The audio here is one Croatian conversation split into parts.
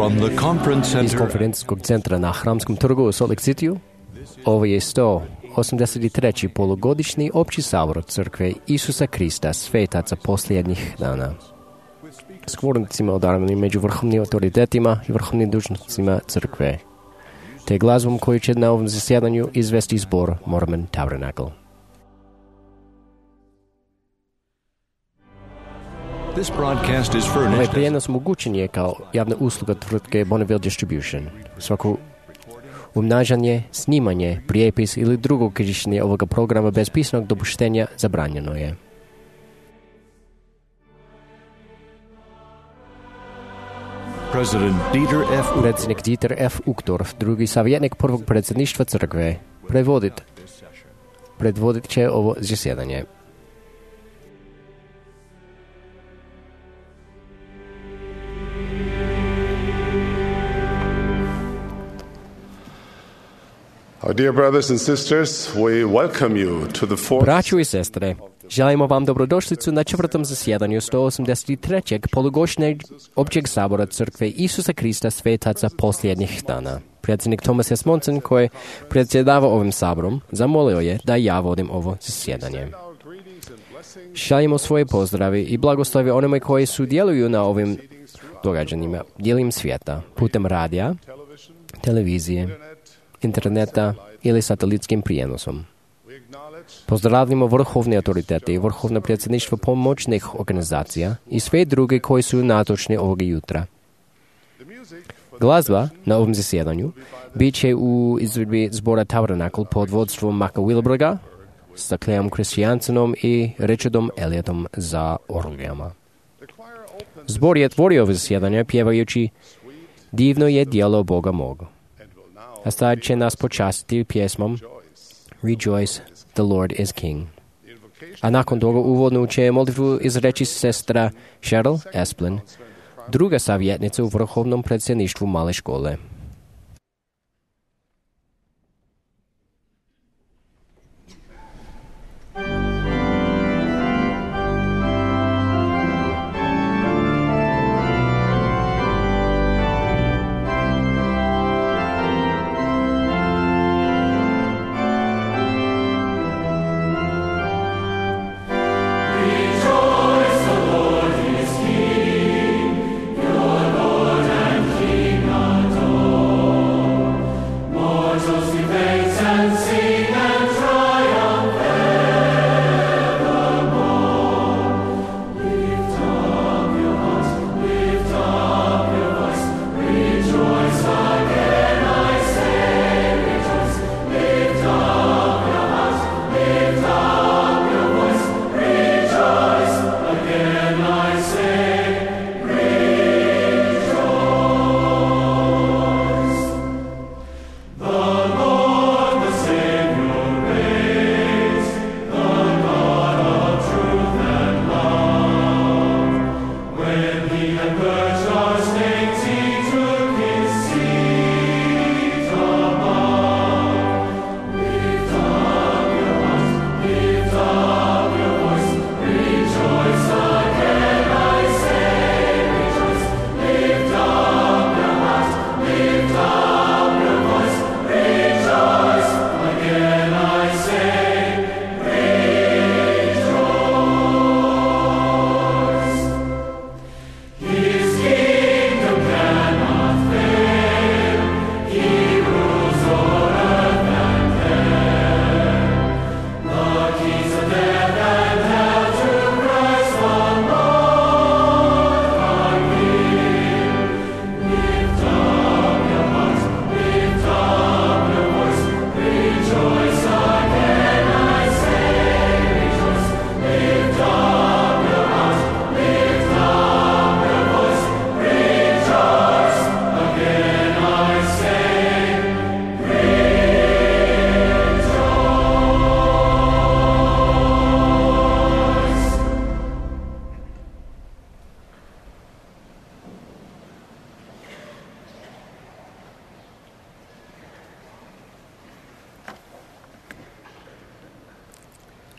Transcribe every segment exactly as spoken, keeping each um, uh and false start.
From the conference Iz center konferencijskog centra na Hramskom trgu u Salt Lake Cityu, ovo je sto osamdeset treći polugodišnji opći sabor crkve Isusa Krista svetaca posljednjih dana. S govornicima odabranim među vrhovnim autoritetima i vrhovnim dužnosnicima crkve, te glazbom koju će na ovom zasjedanju izvesti zbor Mormon Tabernacle. This broadcast is Ovaj furnished prijenos mogućen je kao javna usluga tvrtke Bonneville Distribution. Svako umnažanje, snimanje, prijepis ili drugo korištenje ovoga programa bez pisanog dopuštenja zabranjeno je. President Dieter F. Predsjednik Dieter F. Uchtdorf, drugi savjetnik prvog predsjedništva crkve, predvodit, predvodit će ovo zasjedanje. Our dear brothers and sisters, we welcome you to the fourth Braćo i sestre, želimo vam dobrodošlicu na četvrtom zasjedanju sto osamdeset trećeg polugodišnjeg općeg sabora crkve Isusa Krista svetaca posljednjih dana. Predsjednik Thomas S. Monson, koji predsjedava ovim saborom, zamolio je da ja vodim ovo zasjedanje. Šaljimo svoje pozdravi i blagoslovi onima koji sudjeluju na ovim događanjima diljem svijeta, putem radija, televizije, interneta ili satelitskim prijenosom. Pozdravljamo vrhovne autoritete i vrhovno predsjedništvo pomoćnih organizacija i sve druge koji su natočni ovog jutra. Glazba na ovom zasjedanju bit će u izvedbi zbora Tabernacle pod vodstvom Maka Wilberga sa Cleom Christiansenom i Richardom Elliotom za orgijama. Zbor je otvorio ovo zasjedanje pjevajući Divno je djelo Boga mog. A sad će nas počastiti pjesmom Rejoice, the Lord is King. A nakon toga uvodnu će molitvu izreći sestra Cheryl Esplin, druga savjetnica u vrhovnom predsjedništvu male škole.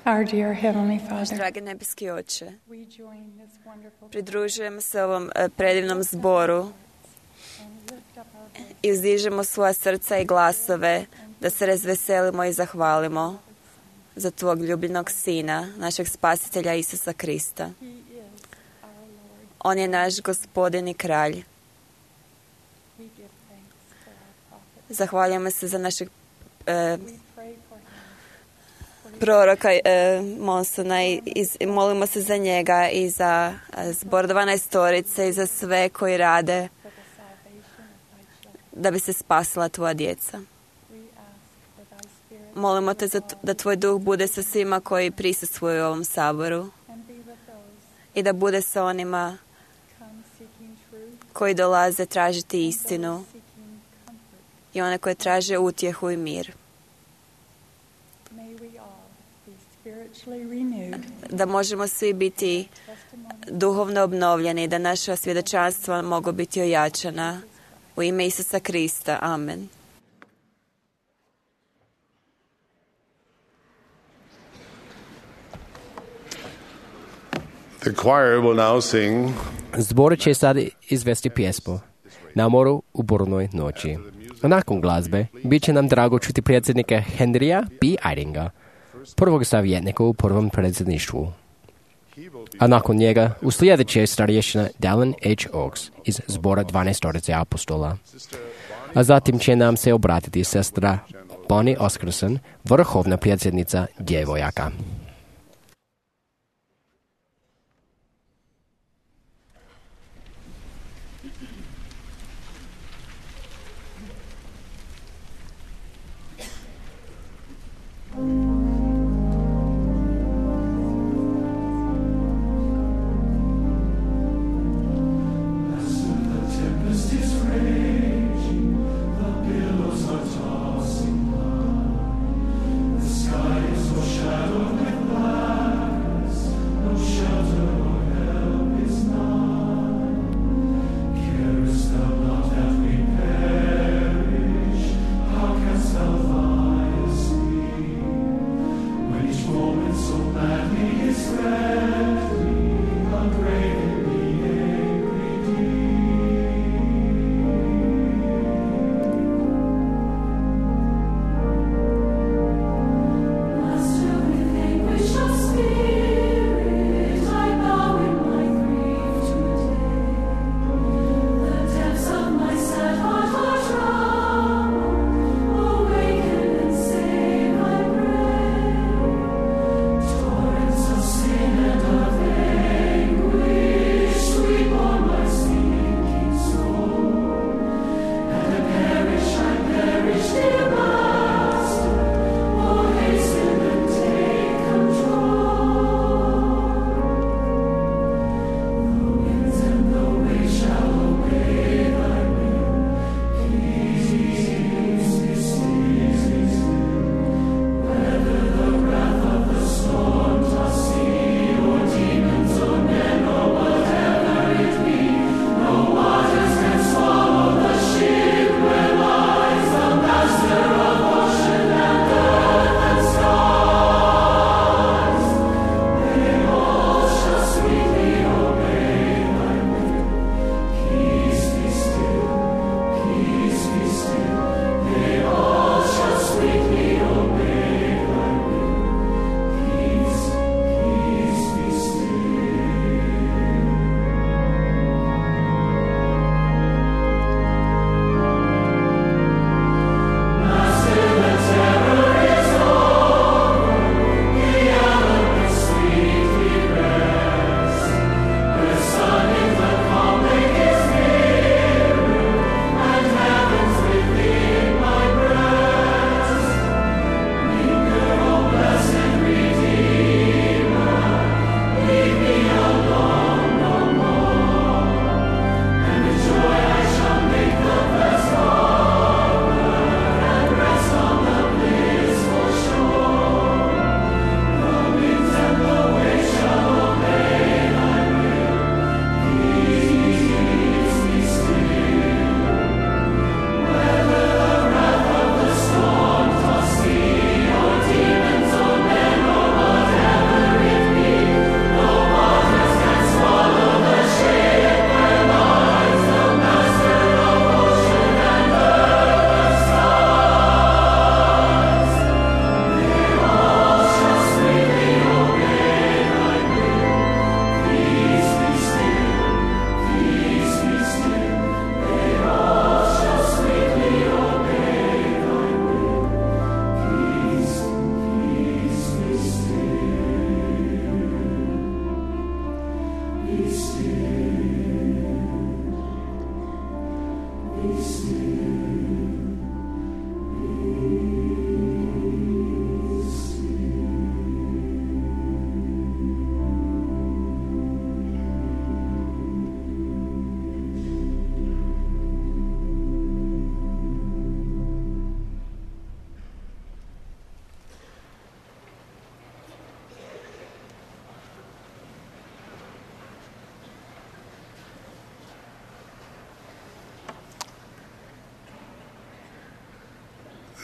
Our dear Heavenly Father, Dragi nebeski Oče, we join this wonderful pridružujemo se ovom eh, predivnom zboru i uzdižemo svoja srca i glasove da se razveselimo i zahvalimo za tvog ljubljenog Sina, našeg Spasitelja Isusa Krista. On je naš Gospodin i Kralj. Zahvaljujemo se za našeg e, proroka e, Monsona i, i molimo se za njega i za e, zbor dvanaestorice i za sve koji rade da bi se spasila tvoja djeca. Molimo te za t- da tvoj duh bude sa svima koji prisustvuju u ovom saboru i da bude sa onima koji dolaze tražiti istinu i one koje traže utjehu i mir. Da možemo svi biti duhovno obnovljeni, da naša svjedočanstva mogu biti ojačana u ime Isusa Krista. Amen. The choir will now sing Zbor će sad izvesti pjesmu Na moru u burnoj noći. Nakon glazbe bit će nam drago čuti predsjednika Henrya B. Eyringa, prvog savjetnika u prvom predsjedništvu. A nakon njega uslijedit će starješina Dallin H. Oaks iz zbora dvanaestorice apostola. A zatim će nam se obratiti sestra Bonnie Oscarson, vrhovna predsjednica djevojaka. Shadow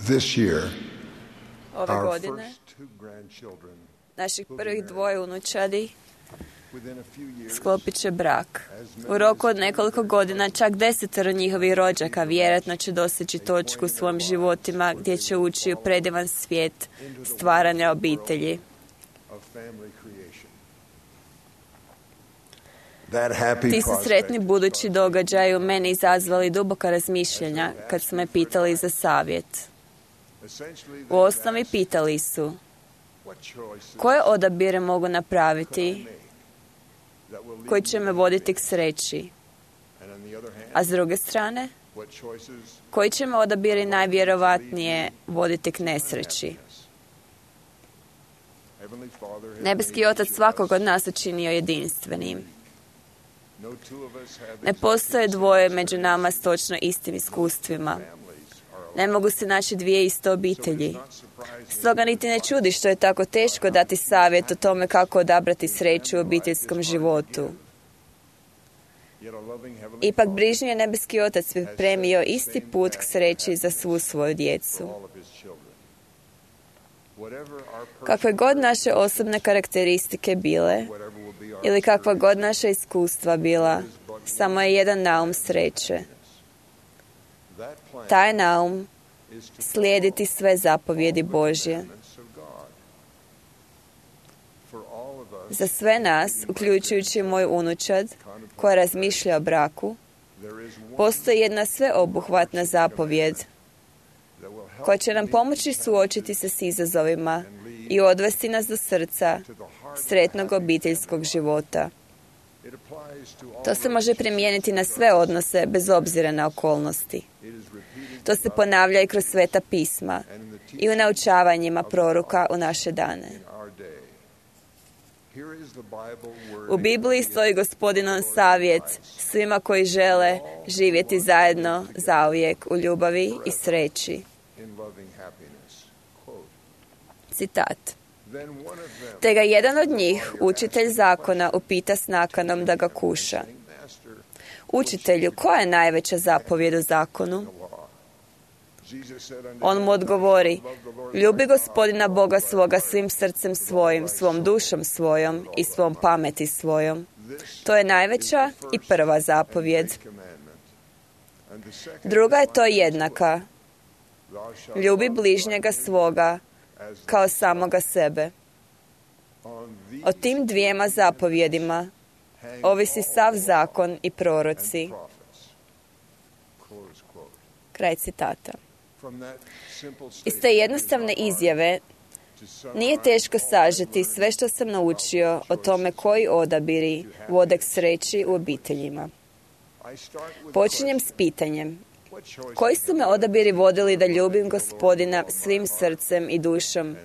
This year, Ove our godine, first two grandchildren naših prvih dvoje unučadi within a few years sklopit će brak. U roku od nekoliko godina čak desetero njihovih rođaka vjerojatno će doseći točku u svojim životima gdje će ući u predivan svijet stvaranja obitelji. of family creation. That happy Ti su sretni prospect budući događaji u meni izazvali duboka razmišljanja kad su me pitali za savjet. essentially U osnovi pitali su what choices koje odabire mogu napraviti make that will lead koji će me voditi k sreći, and on the other hand, a s druge strane what choices koji će me odabiri najvjerovatnije voditi k nesreći. Heavenly Father has Nebeski made Otac each of svakog us. od nas učinio jedinstvenim. No two of us have Ne postoje dvoje među nama s točno istim iskustvima. families are alike. Ne mogu se naći dvije iste obitelji. Not surprising Stoga niti ne čudi što je tako teško dati savjet o tome kako odabrati sreću u obiteljskom životu. yet a loving heavenly Ipak Father brižni je Nebeski Otac pripremio isti put k sreći za svu svoju djecu. all of his children. Whatever our Kakve god naše osobne karakteristike bile, whatever will be our ili kakva god naša iskustva bila, samo je jedan naum sreće. that plan Taj naum is to slijediti sve zapovjedi Božje. commandments of God. For all of us, Za sve nas, uključujući moj unučad, koja razmišlja o braku, there is one postoji jedna sveobuhvatna zapovjed that will help koja će nam pomoći suočiti se s izazovima i odvesti nas do srca to the heart. sretnog obiteljskog života. It applies to all To se može primijeniti na sve odnose bez obzira na okolnosti. It is repeated To se ponavlja i kroz sveta pisma and in the i u naučavanjima proroka u naše dane. in our day. Here is the Bible word U Bibliji stoji Gospodinov savjet svima koji žele živjeti zajedno zauvijek u ljubavi i sreći. in loving happiness. Quote, Citat. then one of them, Te ga jedan od njih, učitelj zakona, upita s nakanom da ga kuša. Master, Učitelju, koja je najveća zapovjed u zakonu? law. Jesus said unto On him, mu odgovori, love the Lord ljubi Gospodina Boga svoga svim srcem svojim, svom dušom svojom i svom pameti svojom. this To je najveća i prva zapovjed. commandment. And the second Druga je to jednaka. thou shalt Ljubi love bližnjega svoga as kao samoga sebe. on these O tim dvijema zapovjedima hang ovisi all sav the zakon i and proroci. prophets. Close quote. Kraj citata. From that simple Iz statement, te jednostavne izjave to sum nije up teško all sažeti the sve što sam naučio o tome koji odabiri vode k sreći u obiteljima. I start with Počinjem s pitanjem, what choices koji su me odabiri vodili da ljubim Gospodina svim srcem i dušom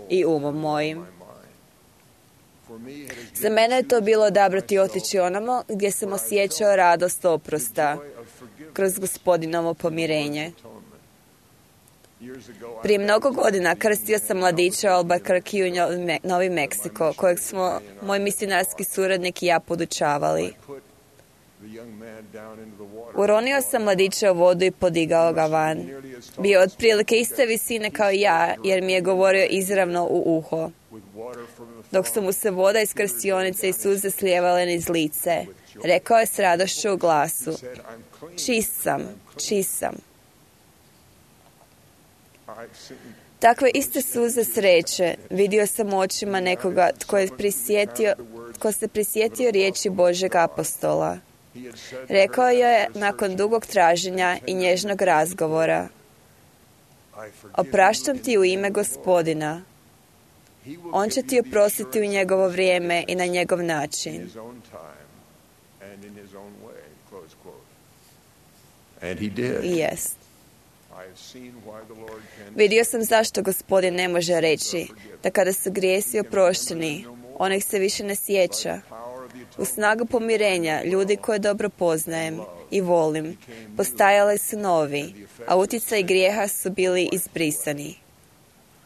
i umom mojim? my mind. For me, it has Za mene je to bilo odabrati otići onamo gdje sam osjećao radost oprosta joy of forgiveness kroz Gospodinovo pomirenje. atonement. Years ago, I Prije mnogo godina krstio sam mladića u Albuquerque u Novi Me- Novi Meksiko, kojeg smo moj misionarski suradnik i ja podučavali. put the young man down into the water. Uronio sam mladića u vodu i podigao ga van. Nearly as tall Bio je otprilike iste visine kao ja, jer mi je govorio izravno u uho, with water from the dok su mu se voda iz krstionice i suze slijevale niz lice. Rekao je s radošću u glasu, said, I'm clean. čist sam, čist sam. I've seen Takve iste suze sreće vidio sam u očima nekoga tko, je prisjetio, tko se prisjetio riječi Božeg apostola. he had said Rekao je nakon dugog traženja i nježnog razgovora, I forgive opraštam ti u ime Gospodina. He will On će give ti you the oprostiti u assurance njegovo vrijeme i na njegov in način. his own time and in his own way. Close quote. And he did. I jest. I have seen why the Lord can Vidio sam zašto Gospodin ne može reći da kada su grijesi oprošteni, on ih se više ne sjeća. power of the U atonement snagu pomirenja, ljudi koje dobro poznajem i volim, postajali su novi, a utjecaj grijeha su bili izbrisani.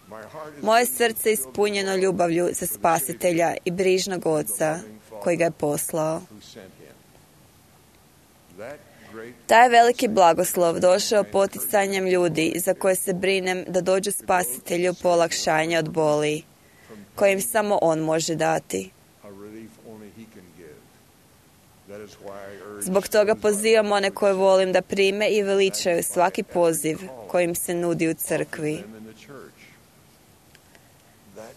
my heart is Moje srce je ispunjeno ljubavlju za Spasitelja i brižnog Oca koji ga je poslao. who sent him. That Taj veliki blagoslov došao poticanjem ljudi za koje se brinem da dođu spasitelju po olakšanje od boli, kojim samo on može dati. Zbog toga pozivam one koje volim da prime i veličaju svaki poziv kojim se nudi u crkvi.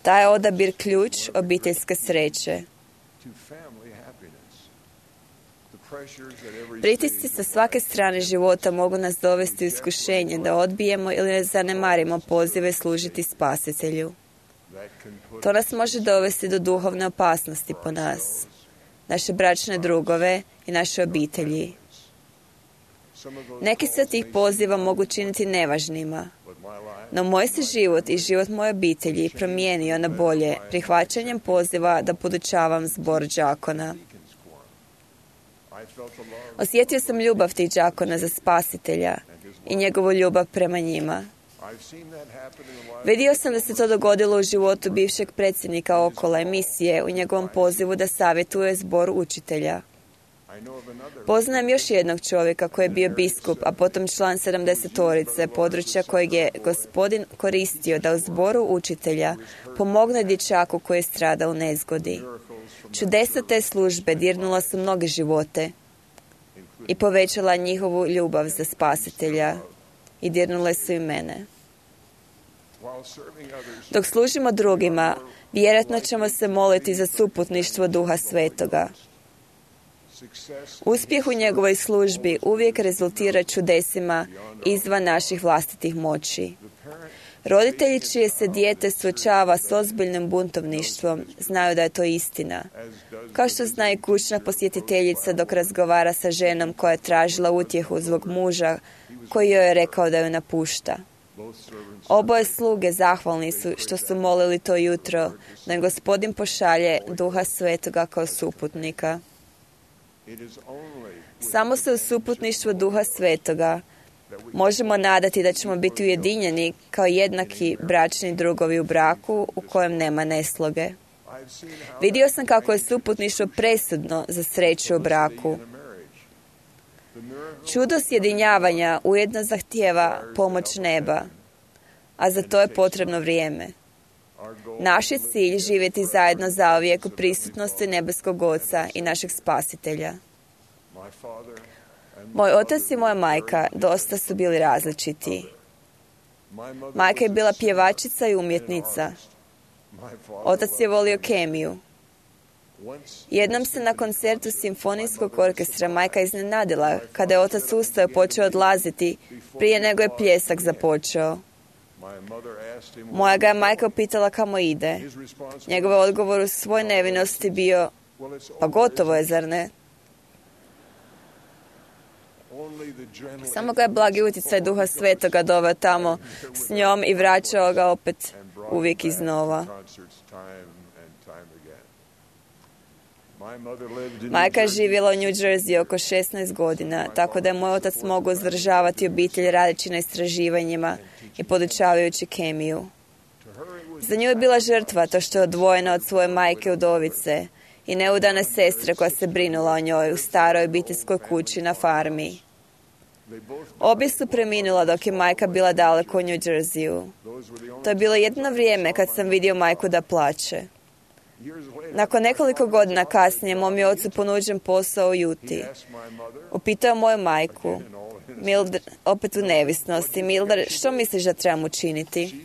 Taj je odabir ključ obiteljske sreće. Pritisci sa svake strane života mogu nas dovesti u iskušenje da odbijemo ili ne zanemarimo pozive služiti spasitelju. To nas može dovesti do duhovne opasnosti po nas, naše bračne drugove i naše obitelji. Neki se od tih poziva mogu činiti nevažnima, no moj se život i život moje obitelji promijenio na bolje prihvaćanjem poziva da podučavam zbor đakona. Osjetio sam ljubav tih đakona za spasitelja i njegovu ljubav prema njima. Vidio sam da se to dogodilo u životu bivšeg predsjednika Okola emisije u njegovom pozivu da savjetuje zbor učitelja. Poznajem još jednog čovjeka koji je bio biskup, a potom član sedamdesetorice, područja kojeg je Gospodin koristio da u zboru učitelja pomogne dječaku koji je stradao u nezgodi. Čudesa te službe dirnula su mnoge živote i povećala njihovu ljubav za spasitelja i dirnule su i mene. Dok služimo drugima, vjerojatno ćemo se moliti za suputništvo Duha Svetoga. Uspjeh u njegovoj službi uvijek rezultira čudesima izvan naših vlastitih moći. Roditelji čije se dijete suočava s ozbiljnim buntovništvom znaju da je to istina. Kao što zna i kućna posjetiteljica dok razgovara sa ženom koja je tražila utjehu zbog muža koji joj je rekao da ju napušta. Oboje sluge zahvalni su što su molili to jutro da im Gospodin pošalje Duha Svetoga kao suputnika. Samo se u suputništvu Duha Svetoga možemo nadati da ćemo biti ujedinjeni kao jednaki bračni drugovi u braku u kojem nema nesloge. Vidio sam kako je suputništvo presudno za sreću u braku. Čudo sjedinjavanja ujedno zahtijeva pomoć neba, a za to je potrebno vrijeme. Naš je cilj živjeti zajedno zauvijek u prisutnosti nebeskog Oca i našeg Spasitelja. Moj otac i moja majka dosta su bili različiti. Majka je bila pjevačica i umjetnica. Otac je volio kemiju. Jednom se na koncertu simfonijskog orkestra majka iznenadila kada je otac ustao i počeo odlaziti prije nego je pljesak započeo. Moja ga je majka upitala kamo ide. Njegov odgovor u svoj nevinosti bio, pa gotovo je, zar ne? Samo ga je blagi utjecaj Duha Svetoga doveo tamo s njom i vraćao ga opet uvijek iznova. Majka je živjela u New Jersey oko šesnaest godina, tako da je moj otac mogao uzdržavati obitelj radeći na istraživanjima i podučavajući kemiju. Za nju je bila žrtva to što je odvojena od svoje majke udovice i neudane sestre koja se brinula o njoj u staroj obiteljskoj kući na farmi. Obje su preminula dok je majka bila daleko u New Jerseyu. To je bilo jedno vrijeme kad sam vidio majku da plače. Nakon nekoliko godina kasnije, mom je ocu ponuđen posao u Juti. Upitao moju majku, Mildred, opet u nevisnosti, Mildred, što misliš da trebam učiniti?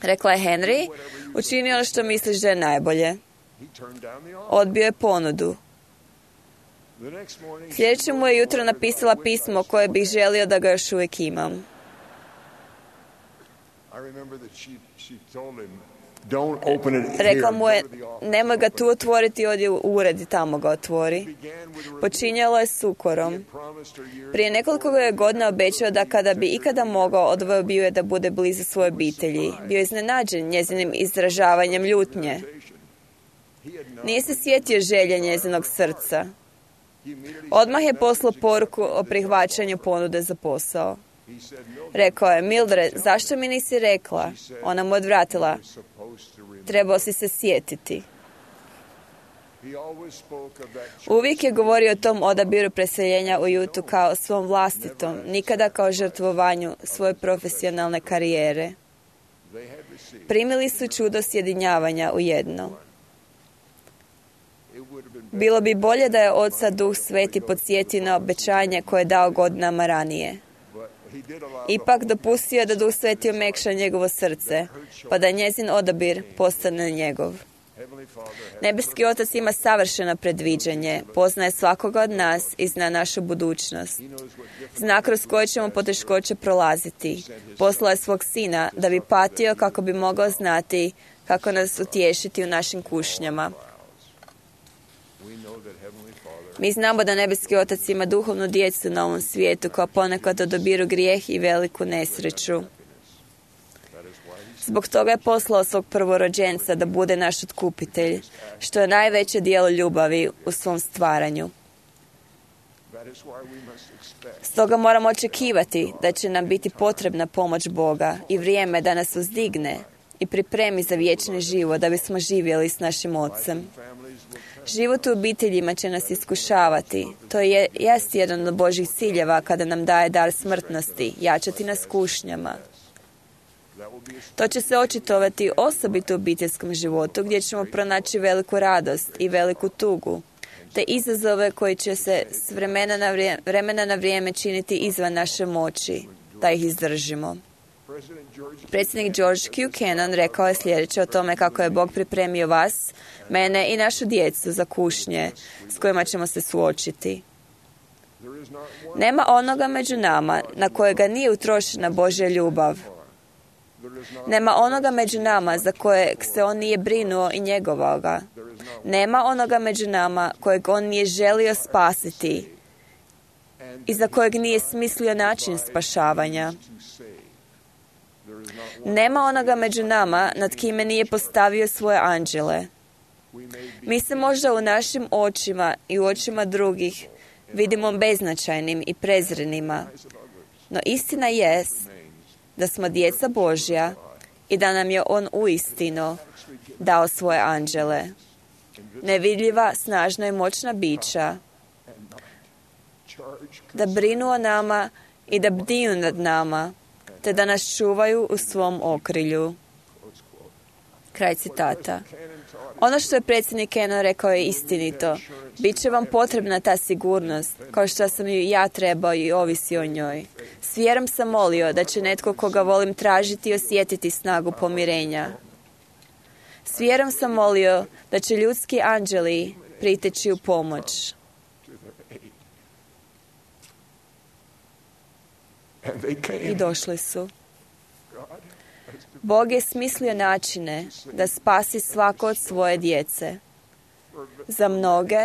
Rekla je, Henry, učini ono što misliš da je najbolje. Odbio je ponudu. Sljedeće mu je jutro napisala pismo koje bih želio da ga još uvijek imam. Rekla mu je, nemoj ga tu otvoriti, odi u ured i tamo ga otvori. Počinjalo je s ukorom. Prije nekoliko je godina obećao da kada bi ikada mogao, odvojio bio je da bude blizu svoje obitelji. Bio je iznenađen njezinim izražavanjem ljutnje. Nije se sjetio želje njezinog srca. Odmah je poslao poruku o prihvaćanju ponude za posao. Rekao je, Mildred, zašto mi nisi rekla? Ona mu odvratila, trebao si se sjetiti. Uvijek je govorio o tom odabiru preseljenja u Jutu kao svom vlastitom, nikada kao žrtvovanju svoje profesionalne karijere. Primili su čudo sjedinjavanja u jedno. Bilo bi bolje da je Oca Duh Sveti podsjetio na obećanje koje je dao godinama ranije. Ipak dopustio je da Duh Sveti omekša njegovo srce, pa da njezin odabir postane njegov. Nebeski Otac ima savršeno predviđanje, poznaje svakoga od nas i zna našu budućnost. Zna kroz koje ćemo poteškoće prolaziti. Poslao je svog Sina da bi patio kako bi mogao znati kako nas utješiti u našim kušnjama. Mi znamo da Nebeski Otac ima duhovnu djecu na ovom svijetu koja ponekad odabiru grijeh i veliku nesreću. Zbog toga je poslao svog prvorođenca da bude naš otkupitelj, što je najveće djelo ljubavi u svom stvaranju. Stoga moramo očekivati da će nam biti potrebna pomoć Boga i vrijeme da nas uzdigne i pripremi za vječni život da bismo živjeli s našim Ocem. Život u obiteljima će nas iskušavati. To je jest jedan od Božjih ciljeva kada nam daje dar smrtnosti, jačati nas kušnjama. To će se očitovati osobito u obiteljskom životu gdje ćemo pronaći veliku radost i veliku tugu, te izazove koji će se s vremena na vrijeme, vremena na vrijeme činiti izvan naše moći, da ih izdržimo. Predsjednik George Q. Cannon rekao je sljedeće o tome kako je Bog pripremio vas, mene i našu djecu za kušnje s kojima ćemo se suočiti. Nema onoga među nama na kojega nije utrošena Božja ljubav. Nema onoga među nama za kojeg se on nije brinuo i njegovao ga. Nema onoga među nama kojeg on nije želio spasiti i za kojeg nije smislio način spašavanja. Nema onoga među nama nad kime nije postavio svoje anđele. Mi se možda u našim očima i u očima drugih vidimo beznačajnim i prezrenima, no istina jest da smo djeca Božja i da nam je On uistinu dao svoje anđele. Nevidljiva, snažna i moćna bića da brinu o nama i da bdiju nad nama, te da nas čuvaju u svom okrilju. Kraj citata. Ono što je predsjednik Cannon rekao je istinito. Biće vam potrebna ta sigurnost, kao što sam ju ja trebao i ovisi o njoj. S vjerom sam molio da će netko koga volim tražiti i osjetiti snagu pomirenja. S vjerom sam molio da će ljudski anđeli priteći u pomoć. I došli su. Bog je smislio načine da spasi svako od svoje djece. Za mnoge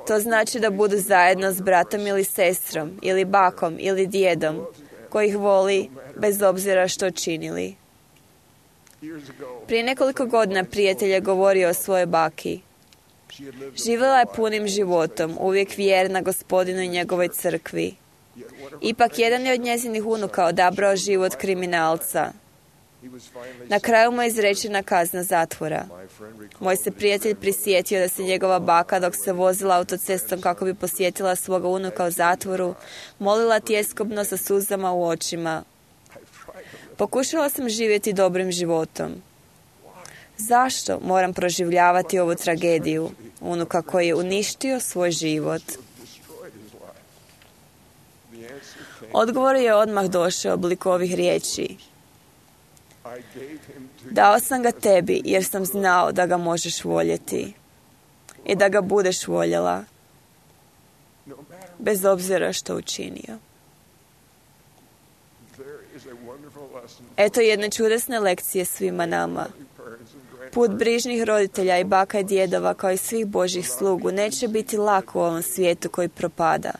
to znači da budu zajedno s bratom ili sestrom, ili bakom, ili djedom, koji ih voli bez obzira što činili. Prije nekoliko godina prijatelj je govorio o svojoj baki. Živjela je punim životom, uvijek vjerna Gospodinu i njegovoj crkvi. Ipak jedan je od njezinih unuka odabrao život kriminalca. Na kraju mu je izrečena kazna zatvora. Moj se prijatelj prisjetio da se njegova baka, dok se vozila autocestom kako bi posjetila svoga unuka u zatvoru, molila tjeskobno sa suzama u očima. Pokušala sam živjeti dobrim životom. Zašto moram proživljavati ovu tragediju unuka koji je uništio svoj život? Odgovor je odmah došao oblik ovih riječi. Dao sam ga tebi jer sam znao da ga možeš voljeti i da ga budeš voljela bez obzira što učinio. Eto jedne čudesne lekcije svima nama. Put brižnih roditelja i baka i djedova kao i svih Božjih slugu neće biti lako u ovom svijetu koji propada.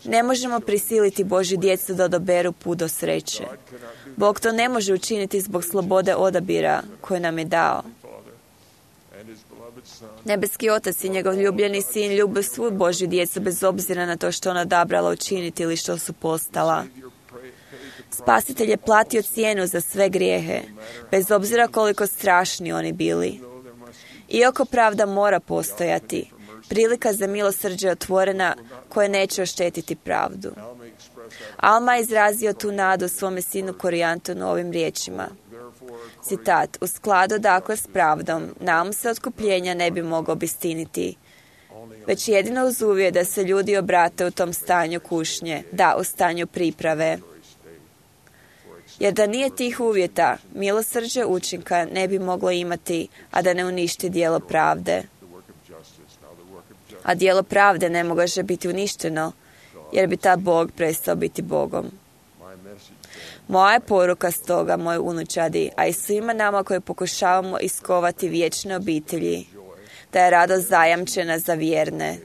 Ne možemo prisiliti Božju djecu da odaberu put do sreće. Bog to ne može učiniti zbog slobode odabira koju nam je dao. Nebeski Otac i njegov ljubljeni Sin ljube svu Božju djecu bez obzira na to što ona odabrala učiniti ili što su postala. Spasitelj je platio cijenu za sve grijehe, bez obzira koliko strašni oni bili. Iako pravda mora postojati, prilika za milosrđe je otvorena koja neće oštetiti pravdu. Alma je izrazio tu nadu svome sinu Korijantonu ovim riječima. Citat, u skladu dakle s pravdom, naum se otkupljenja ne bi mogao obistiniti, već jedino uz uvjet da se ljudi obrate u tom stanju kušnje, da, u stanju priprave. Jer da nije tih uvjeta, milosrđe učinka ne bi moglo imati, a da ne uništi djelo pravde. A djelo pravde ne može biti uništeno, jer bi ta Bog prestao biti Bogom. Moja je poruka stoga, moj unučadi, a i svima nama koji pokušavamo iskovati vječne obitelji, da je radost zajamčena za vjerne.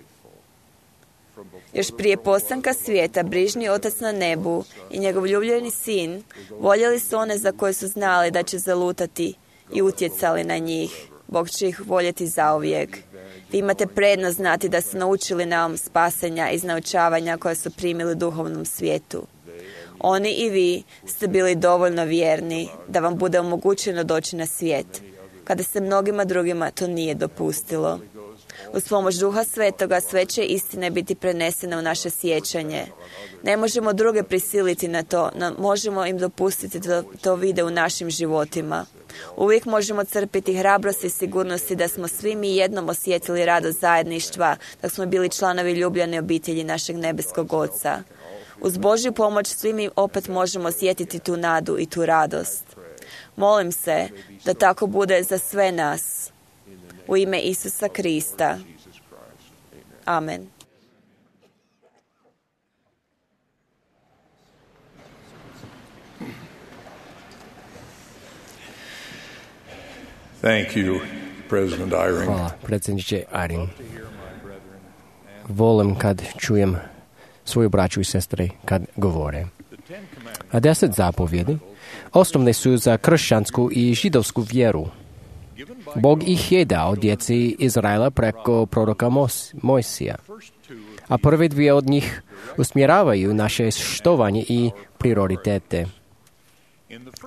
Još prije postanka svijeta, brižni Otac na nebu i njegov ljubljeni sin voljeli su one za koje su znali da će zalutati i utjecali na njih. Bog će ih voljeti zauvijek. Vi imate prednost znati da su naučili naum spasenja iz naučavanja koje su primili u duhovnom svijetu. Oni i vi ste bili dovoljno vjerni da vam bude omogućeno doći na svijet, kada se mnogima drugima to nije dopustilo. Uz pomoć Duha Svetoga sve će istine biti prenesene u naše sjećanje. Ne možemo druge prisiliti na to, no možemo im dopustiti da to vide u našim životima. Uvijek možemo crpiti hrabrost i sigurnosti da smo svi mi jednom osjetili radost zajedništva, da smo bili članovi ljubljene obitelji našeg nebeskog Oca. Uz Božju pomoć svi mi opet možemo osjetiti tu nadu i tu radost. Molim se da tako bude za sve nas. U ime Isusa Krista. Amen. Thank you, President Eyring. Hvala, predsjedniče Eyring. Volim kad čujem svoju braću i sestre kad govore. A deset zapovjedi osnovne su za kršćansku i židovsku vjeru. Bog ih je dao djeci Izraela preko proroka Mos- Mojsija. A prve dvije od njih usmjeravaju naše štovanje i prioritete.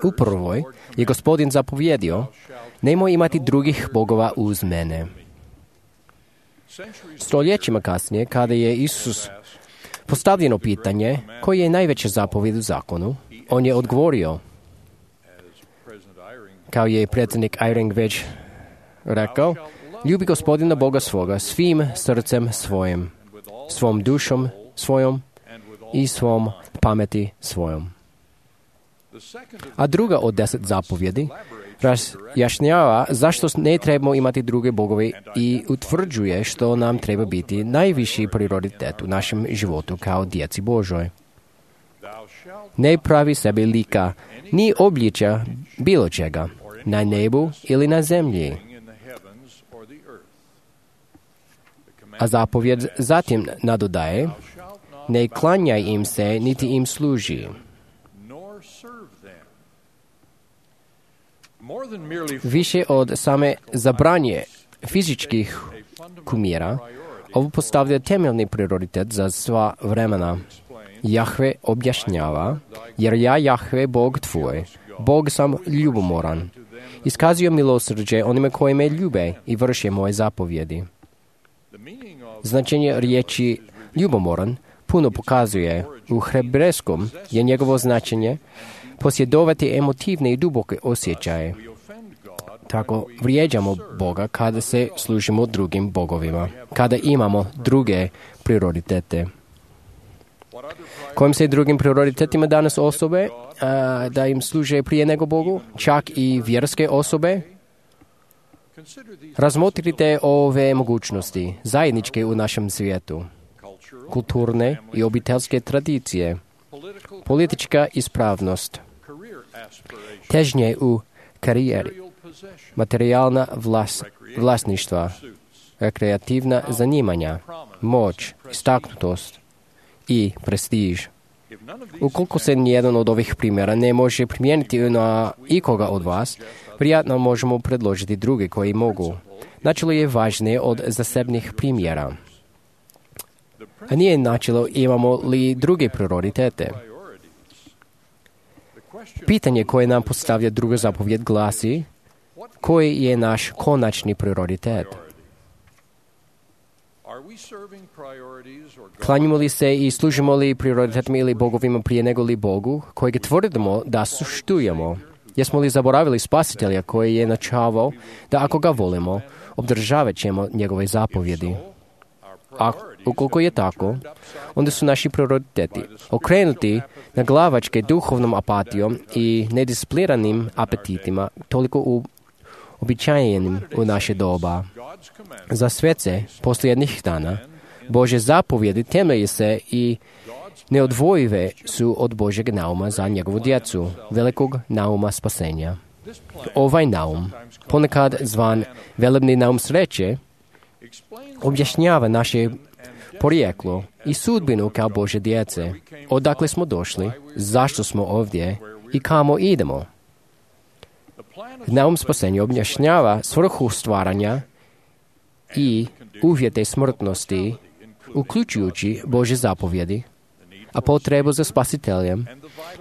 U prvoj je Gospodin zapovjedio, nemoj imati drugih bogova uz mene. Stoljećima kasnije, kada je Isus postavljeno pitanje koji je najveća zapovjed u zakonu, on je odgovorio, kao je predsjednik Eyring već rekao, ljubi Gospodina Boga svoga svim srcem svojim, svom dušom svojom i svom pameti svojom. A druga od deset zapovjedi razjašnjava zašto ne trebamo imati druge bogove i utvrđuje što nam treba biti najviši prioritet u našem životu kao djeci Božoj. Ne pravi sebi lika ni obličja bilo čega, na nebu ili na zemlji. A zapovjed zatim nadodaje, ne klanjaj im se, niti im služi. Više od same zabranje fizičkih kumira, ovo postavlja temeljni prioritet za sva vremena. Jahve objašnjava, jer ja Jahve, Bog tvoj, Bog sam ljubomoran. Iskazuje milosrđe onime koji me ljube i vrše moje zapovjedi. Značenje riječi ljubomoran puno pokazuje. U hebrejskom je njegovo značenje posjedovati emotivne i duboke osjećaje. Tako vrijeđamo Boga kada se služimo drugim bogovima, kada imamo druge prioritete. Kojim se drugim prioritetima danas osobe a, da im služe prije nego Bogu, čak i vjerske osobe? Razmotrite ove mogućnosti zajedničke u našem svijetu. Kulturne i obiteljske tradicije, politička ispravnost, težnje u karijeri, materijalna vlas, vlasništva, rekreativna zanimanja, moć, istaknutost i prestiž. Ukoliko se nijedan od ovih primjera ne može primijeniti na ikoga od vas, prijatno možemo predložiti druge koji mogu. Načelo je važnije od zasebnih primjera. A nije načelo imamo li druge prioritete. Pitanje koje nam postavlja druga zapovjed glasi, koji je naš konačni prioritet. Klanjamo li se i služimo li prioritetima ili bogovima prije nego li Bogu, kojeg tvrdimo da suštujemo? Jesmo li zaboravili Spasitelja koji je načavao da ako ga volimo, obdržavat ćemo njegove zapovjedi? A ukoliko je tako, onda su naši prioriteti okrenuti na glavačke duhovnom apatijom i nediscipliniranim apetitima, toliko uobičajenim u naše doba. Za svece posljednjih dana, Božje zapovjedi temelje se i neodvojive su od Božjeg nauma za njegovu djecu, velikog nauma spasenja. Ovaj naum, ponekad zvan velebni naum sreće, objašnjava naše porijeklo i sudbinu kao Božje djece, odakle smo došli, zašto smo ovdje i kamo idemo. Naum spasenja objašnjava svrhu stvaranja i uvjete smrtnosti, uključujući Božje zapovjedi, a potrebu za spasiteljem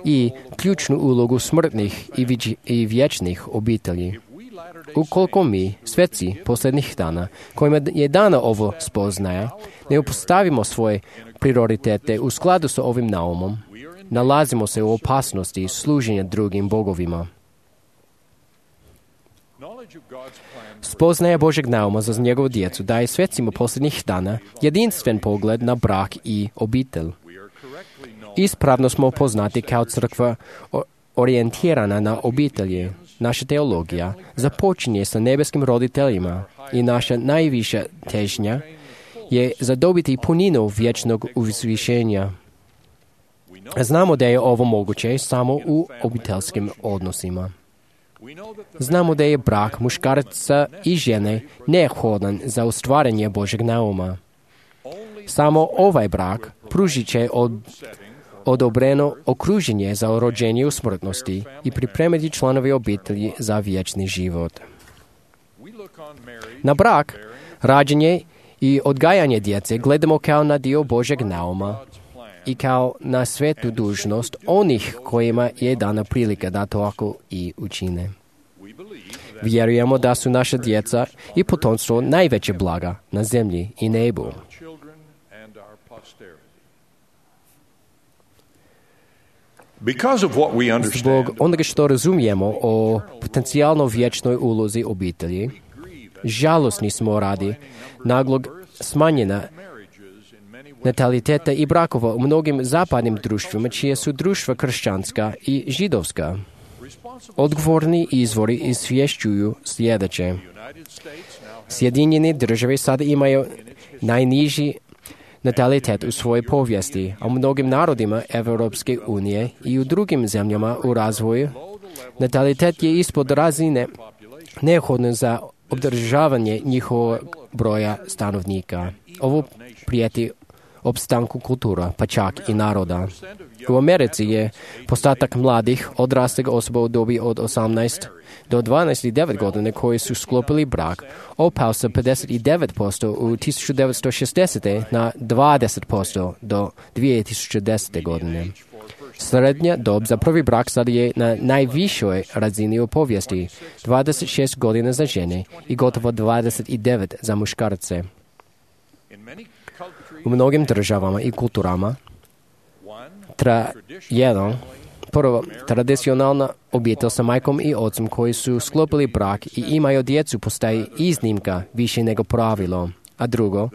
i ključnu ulogu smrtnih i, viđi, i vječnih obitelji. Ukoliko mi, sveci posljednjih dana, kojima je dana ovo spoznaja, ne upostavimo svoje prioritete u skladu sa ovim naumom, nalazimo se u opasnosti služenja drugim bogovima. Spoznaja Božeg nauma za njegovu djecu daje svecima posljednjih dana jedinstven pogled na brak i obitelj. Ispravno smo poznati kao crkva orijentirana na obitelji. Naša teologija započinje sa nebeskim roditeljima i naša najviša težnja je zadobiti puninu vječnog uzvišenja. Znamo da je ovo moguće samo u obiteljskim odnosima. Znamo da je brak muškarca i žene neophodan za ostvarenje Božeg nauma. Samo ovaj brak pružit će od, odobreno okruženje za rođenje u smrtnosti i pripremiti članovi obitelji za vječni život. Na brak, rađenje i odgajanje djece gledamo kao na dio Božeg nauma i kao na svetu dužnost onih kojima je dana prilika da to ako i učine. Vjerujemo da su naša djeca i potomstvo najveće blaga na zemlji i nebu. Zbog onoga što razumijemo o potencijalno vječnoj ulozi obitelji, žalosni smo radi naglog smanjena nataliteta i brakova u mnogim zapadnim društvima, čije su društva kršćanska i židovska. Odgovorni izvori izvješćuju sljedeće. Sjedinjene države sada imaju najniži natalitet u svojoj povijesti, a u mnogim narodima Europske unije i u drugim zemljama u razvoju natalitet je ispod razine neophodno za održavanje njihovog broja stanovnika. Ovo prijeti opstanku kultura, pa čak i naroda. U Americi je postotak mladih odraslih osoba u dobi od osamnaest do dvanaest devet godine koji su sklopili brak opao sa pedeset devet posto u tisuću devetsto šezdesete na dvadeset posto do dvije tisuće desete godine. Srednja dob za prvi brak sad je na najvišoj razini u povijesti, dvadeset šest godina za žene i gotovo dvadeset devet za muškarce. U mnogim državama i kulturama tra, jedan, prvo, tradicionalna obitelj sa majkom i ocem koji su sklopili brak i imaju djecu postaje iznimka više nego pravilo. A drugo,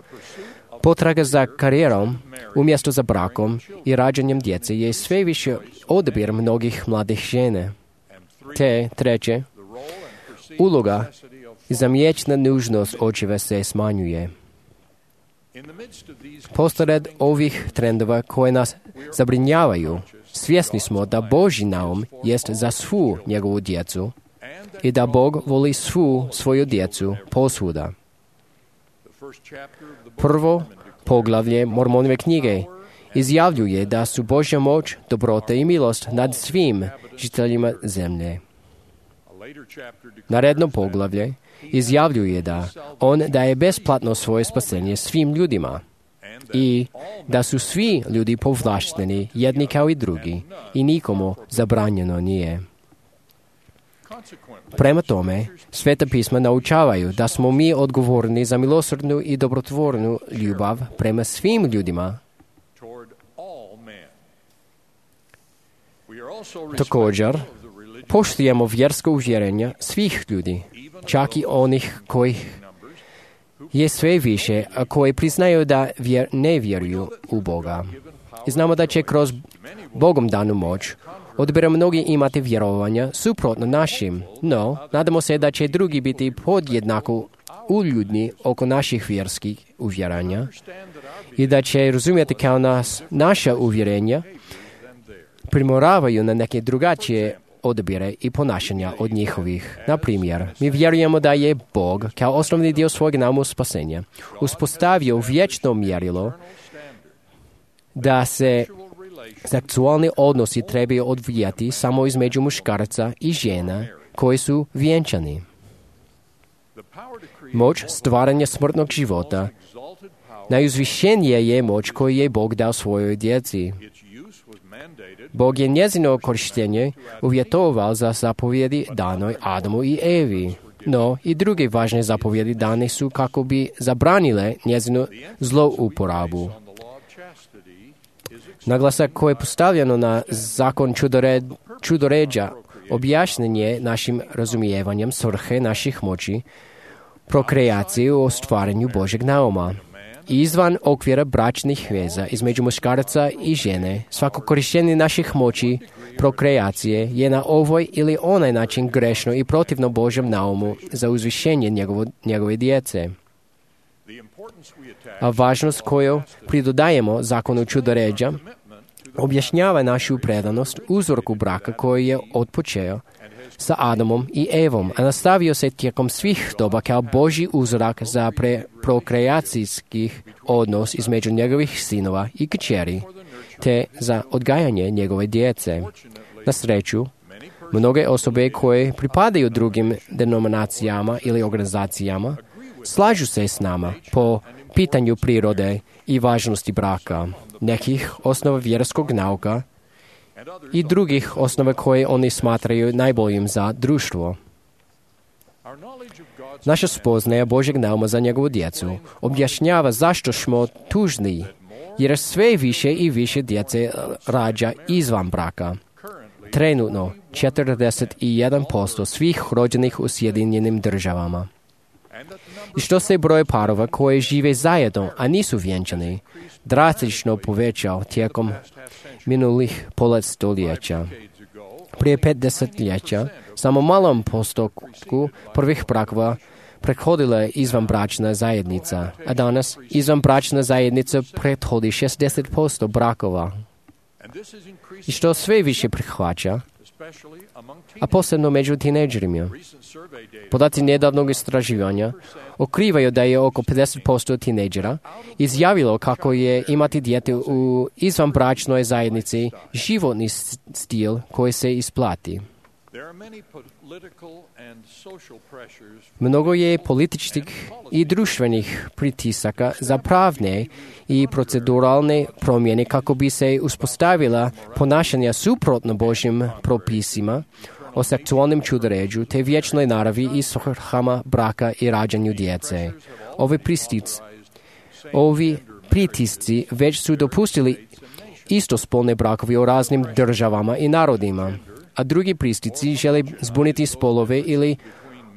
potraga za karijerom umjesto za brakom i rađanjem djece je sve više odabir mnogih mladih žene. Te, treće, uloga i zamječna nužnost očeva se smanjuje. Posled ovih trendova koje nas zabrinjavaju, svjesni smo da Božji naum jest za svu njegovu djecu i da Bog voli svu svoju djecu posvuda. Prvo poglavlje Mormonove knjige izjavljuje da su Božja moć, dobrota i milost nad svim žiteljima zemlje. Naredno poglavlje izjavljuje da On daje besplatno svoje spasenje svim ljudima i da su svi ljudi povlašteni jedni kao i drugi i nikomu zabranjeno nije. Prema tome, Sveta pisma naučavaju da smo mi odgovorni za milosrdnu i dobrotvornu ljubav prema svim ljudima. Također, poštujemo vjersko uvjerenje svih ljudi, čak i onih kojih je sve više, a koji priznaju da vjer, ne vjeruju u Boga. I znamo da će kroz Bogom danu moć odbira mnogi imati vjerovanja suprotno našim, no nadamo se da će drugi biti podjednako uljudni oko naših vjerskih uvjerenja i da će razumjeti kao nas naša uvjerenja primoravaju na neke drugačije odabire i ponašanja od njihovih. Na primjer, mi vjerujemo da je Bog, kao osnovni dio svojeg nauma spasenja, uspostavio vječno mjerilo da se seksualni odnosi trebaju odvijati samo između muškarca i žena koji su vjenčani. Moć stvaranja smrtnog života najuzvišenije je moć koju je Bog dao svojoj djeci. Bog je njezino korištenje uvjetovao za zapovjedi danoj Adamu i Evi, no i druge važne zapovjedi dane su kako bi zabranile njezinu zlouporabu. Naglasak koji je postavljeno na zakon čudored, čudoređa objašnjen je našim razumijevanjem svrhe naših moći, prokreacije u ostvarenju Božeg nauma. Izvan okvira bračnih veza između muškaraca i žene, svako korištenje naših moći prokreacije je na ovoj ili onaj način grešno i protivno Božjem naumu za uzvišenje njegovo, njegove djece. A važnost koju pridodajemo zakonu čudoređa objašnjava našu predanost uzorku braka koji je otpočeo sa Adamom i Evom, a nastavio se tijekom svih doba kao Božji uzorak za pre- prokreacijskih odnos između njegovih sinova i kćeri, te za odgajanje njegove djece. Na sreću, mnoge osobe koje pripadaju drugim denominacijama ili organizacijama slažu se s nama po pitanju prirode i važnosti braka, nekih osnova vjerskog nauka i drugih osnova koje oni smatraju najboljim za društvo. Naša spoznaja Božeg nauma za njegovu djecu objašnjava zašto smo tužni, jer sve više i više djece rađa izvan braka. Trenutno četrdeset jedan posto svih rođenih u Sjedinjenim državama. I što se broj parova koji žive zajedno, a nisu vjenčani, drastično povećao tijekom minulih pola stoljeća. Prije pet desetljeća, samo malom postotku prvih brakova prethodila je izvanbračna zajednica, a danas izvanbračna zajednica prethodi šezdeset posto brakova. I što sve više prihvaća, a posebno među tinejdžerima. Podaci nedavnog istraživanja otkrivaju da je oko pedeset posto tinejdžera izjavilo kako je imati dijete u izvanbračnoj zajednici životni stil koji se isplati. Mnogo je političkih i društvenih pritisaka za pravne i proceduralne promjene kako bi se uspostavila ponašanja suprotno Božjim propisima o seksualnom čudoređu te vječnoj naravi i svrhama braka i rađanju djece. Ovi pristic, ovi pritisci već su dopustili istospolne brakovi u raznim državama i narodima, a drugi pristici žele zbuniti spolove ili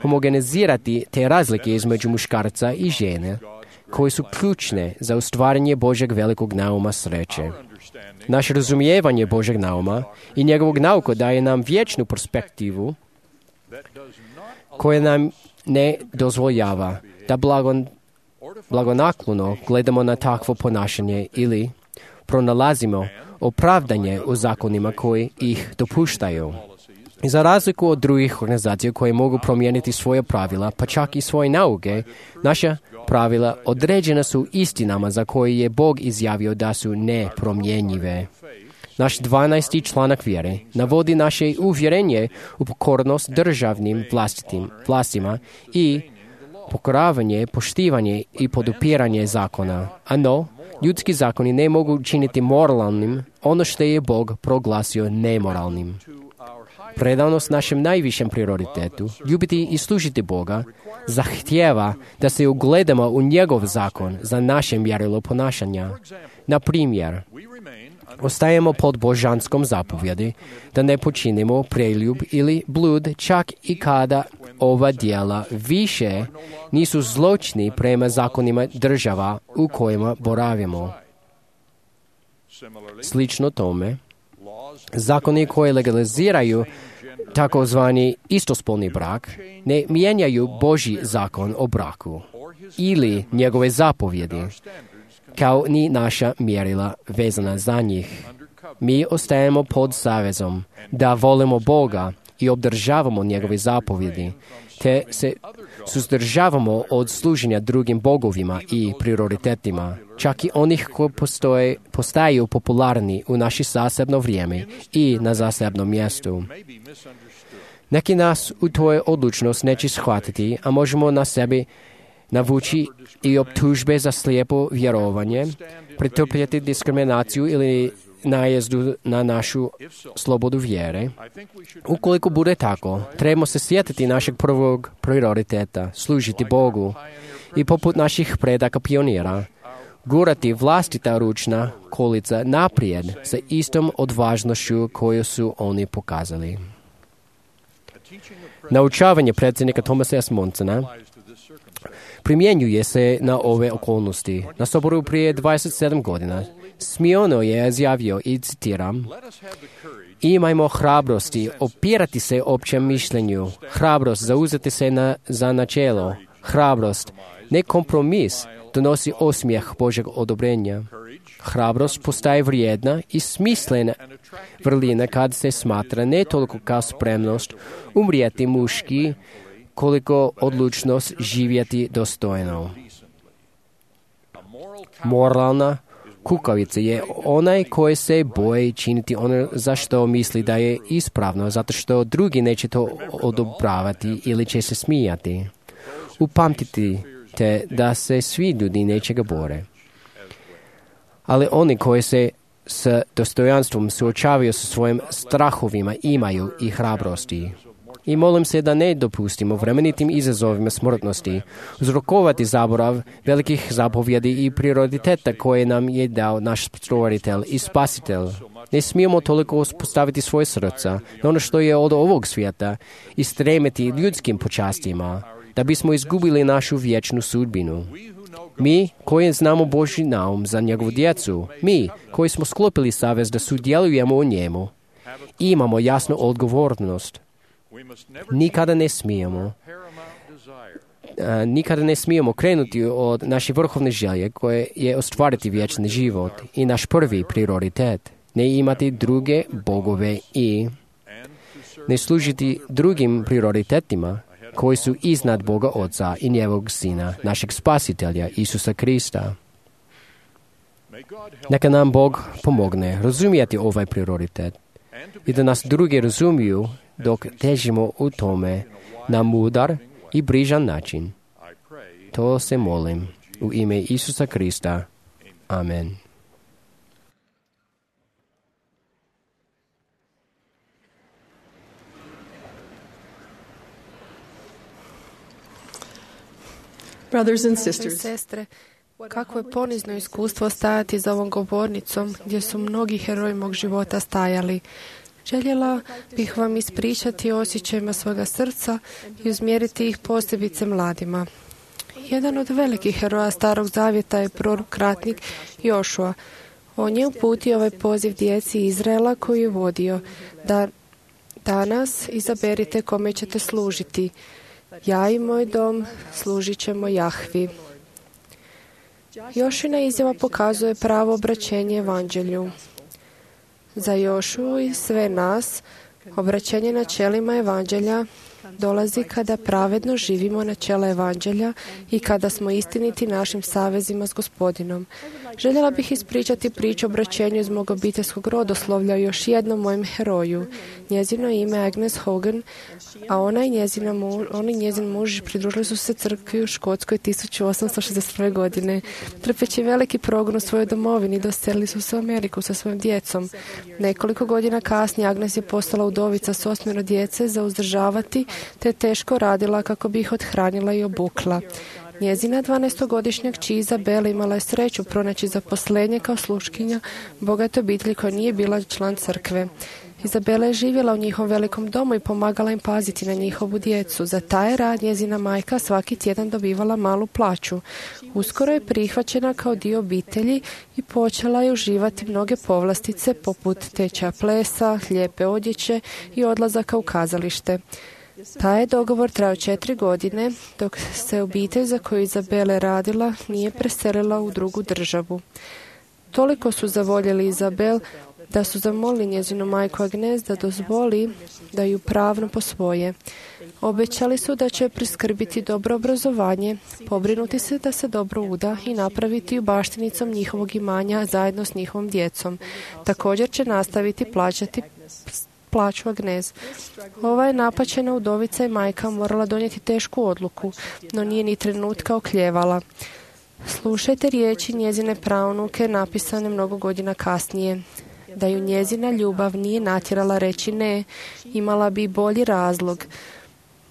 homogenizirati te razlike između muškarca i žene, koje su ključne za ostvarenje Božeg velikog nauma sreće. Naše razumijevanje Božeg nauma i njegovog nauka daje nam vječnu perspektivu koja nam ne dozvoljava da blagon, blagonaklono gledamo na takvo ponašanje ili pronalazimo opravdanje u zakonima koji ih dopuštaju. I za razliku od drugih organizacija koje mogu promijeniti svoje pravila, pa čak i svoje nauke, naša pravila određena su istinama za koje je Bog izjavio da su nepromjenjive. Naš dvanaesti članak vjere navodi naše uvjerenje u pokornost državnim vlastitim, vlastima i pokoravanje, poštivanje i podupiranje zakona. A no, ljudski zakoni ne mogu činiti moralnim ono što je Bog proglasio nemoralnim. predanost našem najvišem prioritetu, ljubiti i služiti Boga, zahtijeva da se ugledamo u njegov zakon za naše mjerilo ponašanja. Na primjer, ostajemo pod božanskom zapovjedi da ne počinimo preljub ili blud čak i kada ova djela više nisu zločini prema zakonima država u kojima boravimo. Slično tome, zakoni koji legaliziraju takozvani istospolni brak ne mijenjaju Božji zakon o braku ili njegove zapovjedi, kao ni naša mjerila vezana za njih. Mi ostajemo pod savezom da volimo Boga i obdržavamo njegove zapovjedi, te se suzdržavamo od služenja drugim bogovima i prioritetima, čak i onih koji postoje, postaju popularni u naše zasebno vrijeme i na zasebnom mjestu. Neki nas u toj odlučnost neće shvatiti, a možemo na sebi navući i optužbe za slijepo vjerovanje, pretrpjeti diskriminaciju ili najezdu na našu slobodu vjere. Ukoliko bude tako, trebamo se sjetiti našeg prvog prioriteta, služiti Bogu i poput naših predaka pionira, gurati vlastita ručna kolica naprijed sa istom odvažnošću koju su oni pokazali. Naučavanje predsjednika Thomasa S. Monsona primjenjuje se na ove okolnosti. Na Soboru prije dvadeset sedam godina smiono je izjavio, i citiram, imajmo hrabrosti opirati se općem mišljenju, hrabrost zauzeti se na, za načelo, hrabrost, ne kompromis, donosi osmijeh Božeg odobrenja. Hrabrost postaje vrijedna i smislena vrlina kad se smatra ne toliko kao spremnost umrijeti muški, koliko odlučnost živjeti dostojno. Moralna kukavica je onaj koji se boji činiti ono za što misli da je ispravno, zato što drugi neće to odobravati ili će se smijati. Upamtite te da se svi ljudi nečega bore. Ali oni koji se s dostojanstvom suočavaju sa svojim strahovima imaju i hrabrosti. I molim se da ne dopustimo vremenitim izazovima smrtnosti uzrokovati zaborav velikih zapovjedi i prioriteta koje nam je dao naš stvoritelj i spasitelj. Ne smijemo toliko uspostaviti svoje srca na ono što je od ovog svijeta i stremiti ljudskim počastima, da bismo izgubili našu vječnu sudbinu. Mi koji znamo Božji naum za njegovu djecu, mi koji smo sklopili savez da sudjelujemo u njemu, imamo jasnu odgovornost. Nikada ne smijemo a, nikada ne smijemo krenuti od naše vrhovne želje koje je ostvariti vječni život i naš prvi prioritet, ne imati druge bogove i ne služiti drugim prioritetima koji su iznad Boga Oca i njegovog Sina, našeg Spasitelja, Isusa Krista. Neka nam Bog pomogne razumijeti ovaj prioritet i da nas drugi razumiju dok težimo u tome na mudar i brižan način. To se molim u ime Isusa Krista. Amen. Brothers and sisters, sestre, kakvo je ponizno iskustvo stajati za ovom govornicom gdje su mnogi heroji mog života stajali. Željela bih vam ispričati o osjećajima svoga srca i uzmjeriti ih posebice mladima. Jedan od velikih heroja Starog zavjeta je prorok ratnik Jošua. On je uputio ovaj poziv djeci Izraela koji je vodio, da danas izaberite kome ćete služiti. Ja i moj dom služit ćemo Jahvi. Jošina izjava pokazuje pravo obraćenje evanđelju. Za Jošu i sve nas, obraćenje načelima evanđelja dolazi kada pravedno živimo načela evanđelja i kada smo istiniti našim savezima s Gospodinom. Željela bih ispričati priču o obraćenju iz mog obiteljskog rodoslovlja o još jednom mojem heroju. Njezino ime je Agnes Hogan, a ona i njezina muž, on i njezin muž pridružili su se crkvi u Škotskoj tisuću osamsto šezdeset prve. godine. Trpeći veliki progon u svojoj domovini, doselili su se u Ameriku sa svojim djecom. Nekoliko godina kasnije Agnes je postala udovica s osmero djece za uzdržavati, te teško radila kako bi ih othranila i obukla. Njezina dvanaestogodišnja kći Izabela imala je sreću pronaći zaposlenje kao sluškinja bogate obitelji koja nije bila član crkve. Izabela je živjela u njihovom velikom domu i pomagala im paziti na njihovu djecu. Za taj rad njezina majka svaki tjedan dobivala malu plaću. Uskoro je prihvaćena kao dio obitelji i počela je uživati mnoge povlastice poput tečaja plesa, lijepe odjeće i odlazaka u kazalište. Taj je dogovor trajao četiri godine, dok se obitelj za koju Izabela radila nije preselila u drugu državu. Toliko su zavoljeli Izabel da su zamolili njezinu majku Agnes da dozvoli da ju pravno posvoje. Obećali su da će priskrbiti dobro obrazovanje, pobrinuti se da se dobro uda i napraviti ju baštinicom njihovog imanja zajedno s njihovom djecom. Također će nastaviti plaćati plaću Agnes. Ova je napaćena udovica i majka morala donijeti tešku odluku, no nije ni trenutka okljevala. Slušajte riječi njezine praunuke napisane mnogo godina kasnije. Da ju njezina ljubav nije natjerala reći ne, imala bi bolji razlog.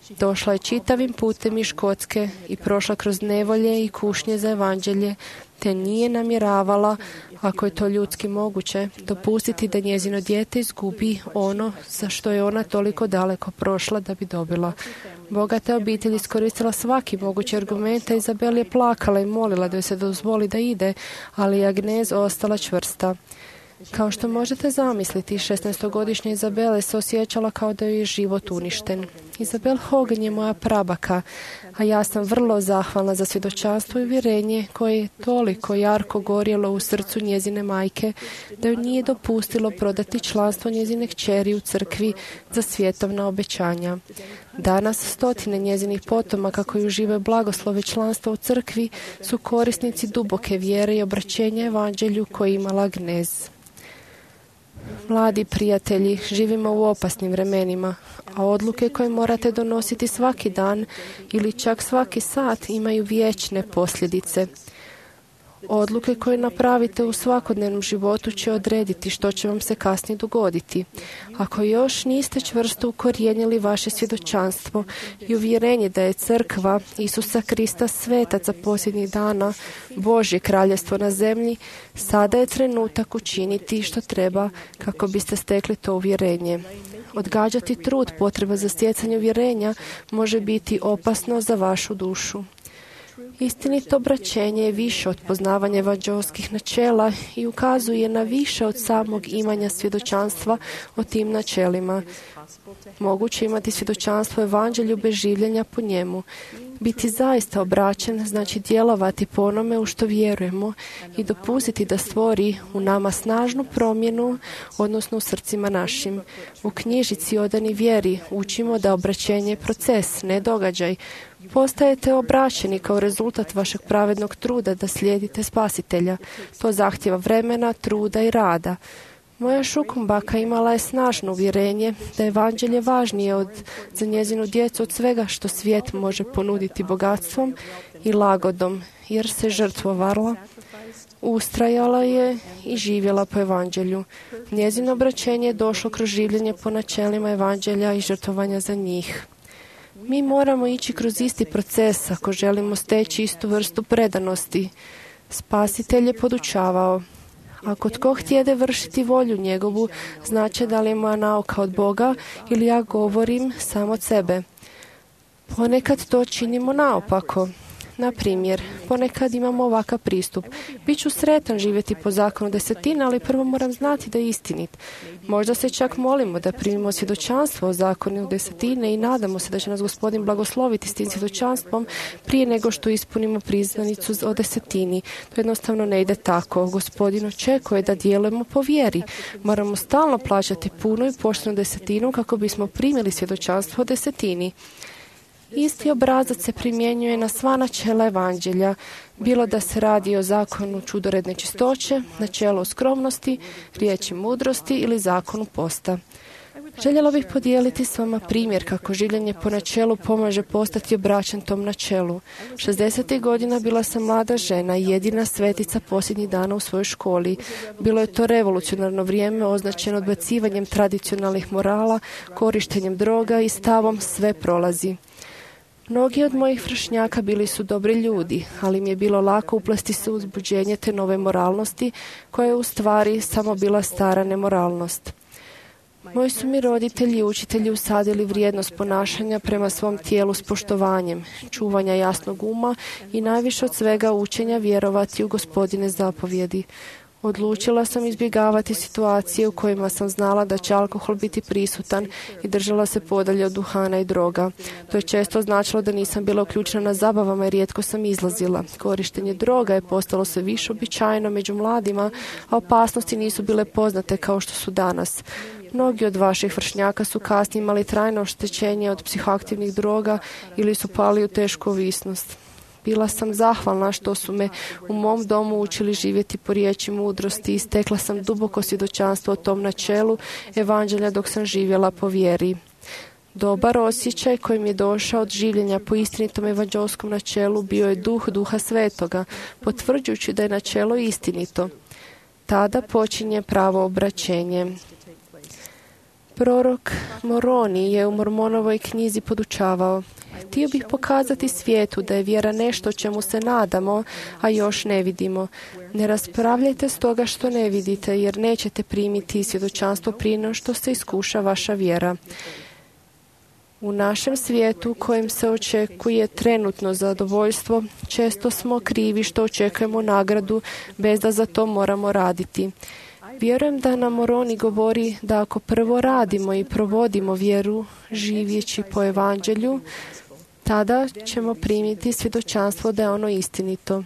Došla je čitavim putem iz Škotske i prošla kroz nevolje i kušnje za evanđelje, te nije namjeravala, ako je to ljudski moguće, dopustiti da njezino dijete izgubi ono za što je ona toliko daleko prošla da bi dobila. Bogata obitelj iskoristila svaki mogući argument, a Izabela je plakala i molila da joj se dozvoli da ide, ali je Agnes ostala čvrsta. Kao što možete zamisliti, šesnaestogodišnja Izabela se osjećala kao da joj je život uništen. Izabel Hogan je moja prabaka, a ja sam vrlo zahvalna za svjedočanstvo i uvjerenje koje je toliko jarko gorjelo u srcu njezine majke da ju nije dopustilo prodati članstvo njezine kćeri u crkvi za svjetovna obećanja. Danas stotine njezinih potomaka koji uživaju blagoslove članstva u crkvi su korisnici duboke vjere i obraćenja evanđelju koje je imala Agnes. Mladi prijatelji, živimo u opasnim vremenima, a odluke koje morate donositi svaki dan ili čak svaki sat imaju vječne posljedice. Odluke koje napravite u svakodnevnom životu će odrediti što će vam se kasnije dogoditi. Ako još niste čvrsto ukorijenili vaše svjedočanstvo i uvjerenje da je crkva Isusa Krista svetac za posljednjih dana, Božje kraljevstvo na zemlji, sada je trenutak učiniti što treba kako biste stekli to uvjerenje. Odgađati trud potreba za stjecanje uvjerenja može biti opasno za vašu dušu. Istinito obraćenje je više od poznavanja evanđelskih načela i ukazuje na više od samog imanja svjedočanstva o tim načelima. Moguće imati svjedočanstvo evanđelju bez življenja po njemu. Biti zaista obraćen znači djelovati po onome u što vjerujemo i dopustiti da stvori u nama snažnu promjenu, odnosno u srcima našim. U knjižici Odani vjeri učimo da obraćenje je proces, ne događaj. Postajete obraćeni kao rezultat vašeg pravednog truda da slijedite Spasitelja. To zahtjeva vremena, truda i rada. Moja šukumbaka imala je snažno uvjerenje da je evanđelje važnije od, za njezinu djecu od svega što svijet može ponuditi bogatstvom i lagodom, jer se žrtvovala, ustrajala je i živjela po evanđelju. Njezino obraćenje je došlo kroz življenje po načelima evanđelja i žrtvovanja za njih. Mi moramo ići kroz isti proces ako želimo steći istu vrstu predanosti. Spasitelj je podučavao: ako tko htjede vršiti volju njegovu, znači da li je moja nauka od Boga ili ja govorim samo od sebe. Ponekad to činimo naopako. Na primjer, ponekad imamo ovakav pristup. Biću sretan živjeti po zakonu desetine, ali prvo moram znati da je istinit. Možda se čak molimo da primimo svjedočanstvo o zakonu desetine i nadamo se da će nas Gospodin blagosloviti s tim svjedočanstvom prije nego što ispunimo priznanicu o desetini. To jednostavno ne ide tako. Gospodin očekuje da djelujemo po vjeri. Moramo stalno plaćati puno i poštenu desetinu kako bismo primili svjedočanstvo o desetini. Isti obrazac se primjenjuje na sva načela evanđelja, bilo da se radi o zakonu čudoredne čistoće, načelu skromnosti, riječi mudrosti ili zakonu posta. Željela bih podijeliti s vama primjer kako življenje po načelu pomaže postati obraćan tom načelu. šezdesetih godina bila sam mlada žena i jedina svetica posljednjih dana u svojoj školi. Bilo je to revolucionarno vrijeme označeno odbacivanjem tradicionalnih morala, korištenjem droga i stavom sve prolazi. Mnogi od mojih vršnjaka bili su dobri ljudi, ali mi je bilo lako uplesti se u uzbuđenje te nove moralnosti, koja je u stvari samo bila stara nemoralnost. Moji su mi roditelji i učitelji usadili vrijednost ponašanja prema svom tijelu s poštovanjem, čuvanja jasnog uma i najviše od svega učenja vjerovati u Gospodine zapovjedi. Odlučila sam izbjegavati situacije u kojima sam znala da će alkohol biti prisutan i držala se podalje od duhana i droga. To je često značilo da nisam bila uključena na zabavama i rijetko sam izlazila. Korištenje droga je postalo sve više uobičajeno među mladima, a opasnosti nisu bile poznate kao što su danas. Mnogi od vaših vršnjaka su kasnije imali trajno oštećenje od psihoaktivnih droga ili su pali u tešku ovisnost. Bila sam zahvalna što su me u mom domu učili živjeti po riječi mudrosti i stekla sam duboko svjedočanstvo o tom načelu evanđelja dok sam živjela po vjeri. Dobar osjećaj koji mi je došao od življenja po istinitom evanđelskom načelu bio je duh Duha Svetoga, potvrđujući da je načelo istinito. Tada počinje pravo obraćenje. Prorok Moroni je u Mormonovoj knjizi podučavao: htio bih pokazati svijetu da je vjera nešto čemu se nadamo, a još ne vidimo. Ne raspravljajte stoga što ne vidite, jer nećete primiti svjedočanstvo prije no što se iskuša vaša vjera. U našem svijetu kojem se očekuje trenutno zadovoljstvo, često smo krivi što očekujemo nagradu bez da za to moramo raditi. Vjerujem da nam Moroni govori da ako prvo radimo i provodimo vjeru živjeći po evanđelju, tada ćemo primiti svjedočanstvo da je ono istinito.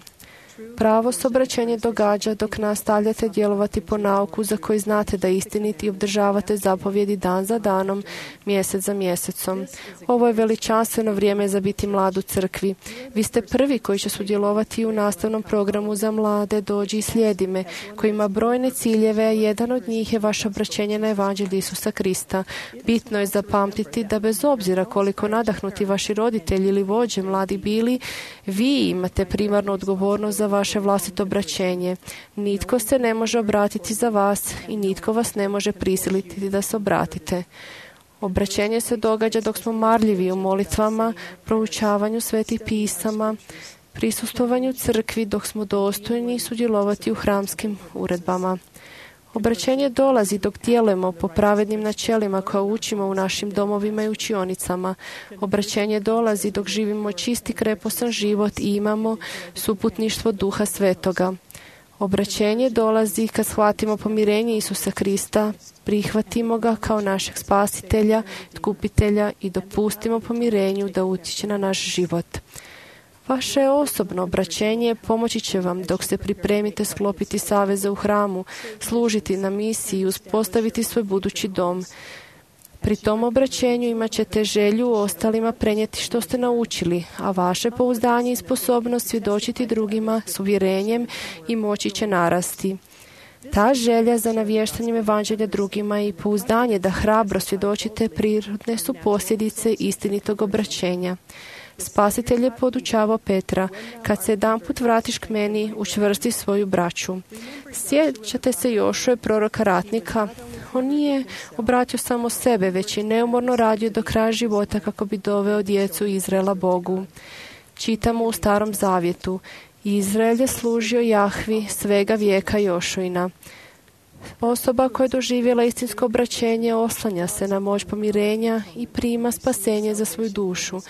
Pravo se obraćenje događa dok nastavljate djelovati po nauku za koji znate da je istinit i obdržavate zapovjedi dan za danom, mjesec za mjesecom. Ovo je veličanstveno vrijeme za biti mlad u crkvi. Vi ste prvi koji će sudjelovati u nastavnom programu za mlade Dođi i slijedi me, koji ima brojne ciljeve, a jedan od njih je vaše obraćenje na evanđelje Isusa Krista. Bitno je zapamtiti da bez obzira koliko nadahnuti vaši roditelji ili vođe mladi bili, vi imate primarnu odgovornost za vaše vlastito obraćenje. Nitko se ne može obratiti za vas i nitko vas ne može prisiliti da se obratite. Obraćenje se događa dok smo marljivi u molitvama, proučavanju svetih pisama, prisustvovanju crkvi, dok smo dostojni sudjelovati u hramskim uredbama. Obraćenje dolazi dok djelujemo po pravednim načelima koja učimo u našim domovima i učionicama. Obraćenje dolazi dok živimo čisti kreposan život i imamo suputništvo Duha Svetoga. Obraćenje dolazi kad shvatimo pomirenje Isusa Krista, prihvatimo ga kao našeg spasitelja, tkupitelja i dopustimo pomirenju da utječe na naš život. Vaše osobno obraćenje pomoći će vam dok se pripremite sklopiti saveze u hramu, služiti na misiji i uspostaviti svoj budući dom. Pri tom obraćenju imat ćete želju ostalima prenijeti što ste naučili, a vaše pouzdanje i sposobnost svjedočiti drugima s uvjerenjem i moći će narasti. Ta želja za navještanjem evanđelja drugima i pouzdanje da hrabro svjedočite prirodne su posljedice istinitog obraćenja. Spasitelj je podučavao Petra: kad se jedanput vratiš k meni, učvrsti svoju braću. Sjećate se Jošue, proroka ratnika? On nije obratio samo sebe, već je neumorno radio do kraja života kako bi doveo djecu Izraela Bogu. Čitamo u Starom zavjetu: Izrael je služio Jahvi svega vijeka Jošuina. Osoba koja je doživjela istinsko obraćenje oslanja se na moć pomirenja i prima spasenje za svoju dušu.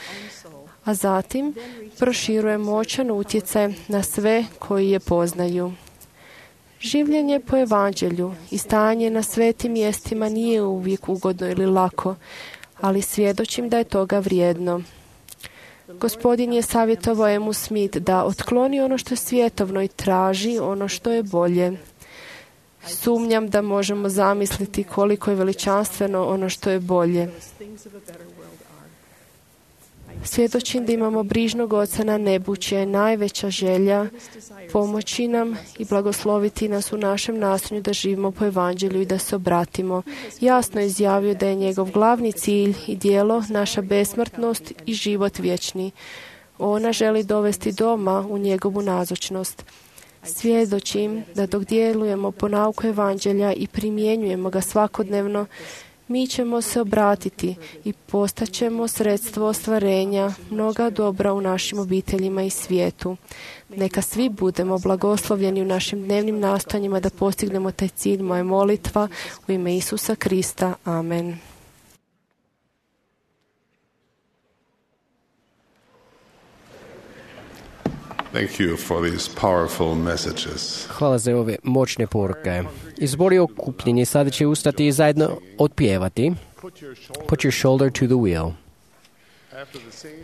a zatim proširuje moćan utjecaj na sve koji je poznaju. Življenje po evanđelju i stanje na svetim mjestima nije uvijek ugodno ili lako, ali svjedočim da je toga vrijedno. Gospodin je savjetovao Emu Smith da otkloni ono što je svjetovno i traži ono što je bolje. Sumnjam da možemo zamisliti koliko je veličanstveno ono što je bolje. Svjedočim da imamo brižnog Oca na nebu, čija je najveća želja pomoći nam i blagosloviti nas u našem nastojanju da živimo po evanđelju i da se obratimo. Jasno je izjavio da je njegov glavni cilj i djelo naša besmrtnost i život vječni. Ona želi dovesti doma u njegovu nazočnost. Svjedočim da dok djelujemo po nauku evanđelja i primjenjujemo ga svakodnevno, mi ćemo se obratiti i postaćemo sredstvo ostvarenja mnoga dobra u našim obiteljima i svijetu. Neka svi budemo blagoslovljeni u našim dnevnim nastojanjima da postignemo taj cilj. Moja molitva u ime Isusa Krista. Amen. Thank you for these powerful messages. Hvala za ove moćne poruke. Izbori okupljenje sada će ustati i zajedno otpjevati Put your shoulder to the wheel.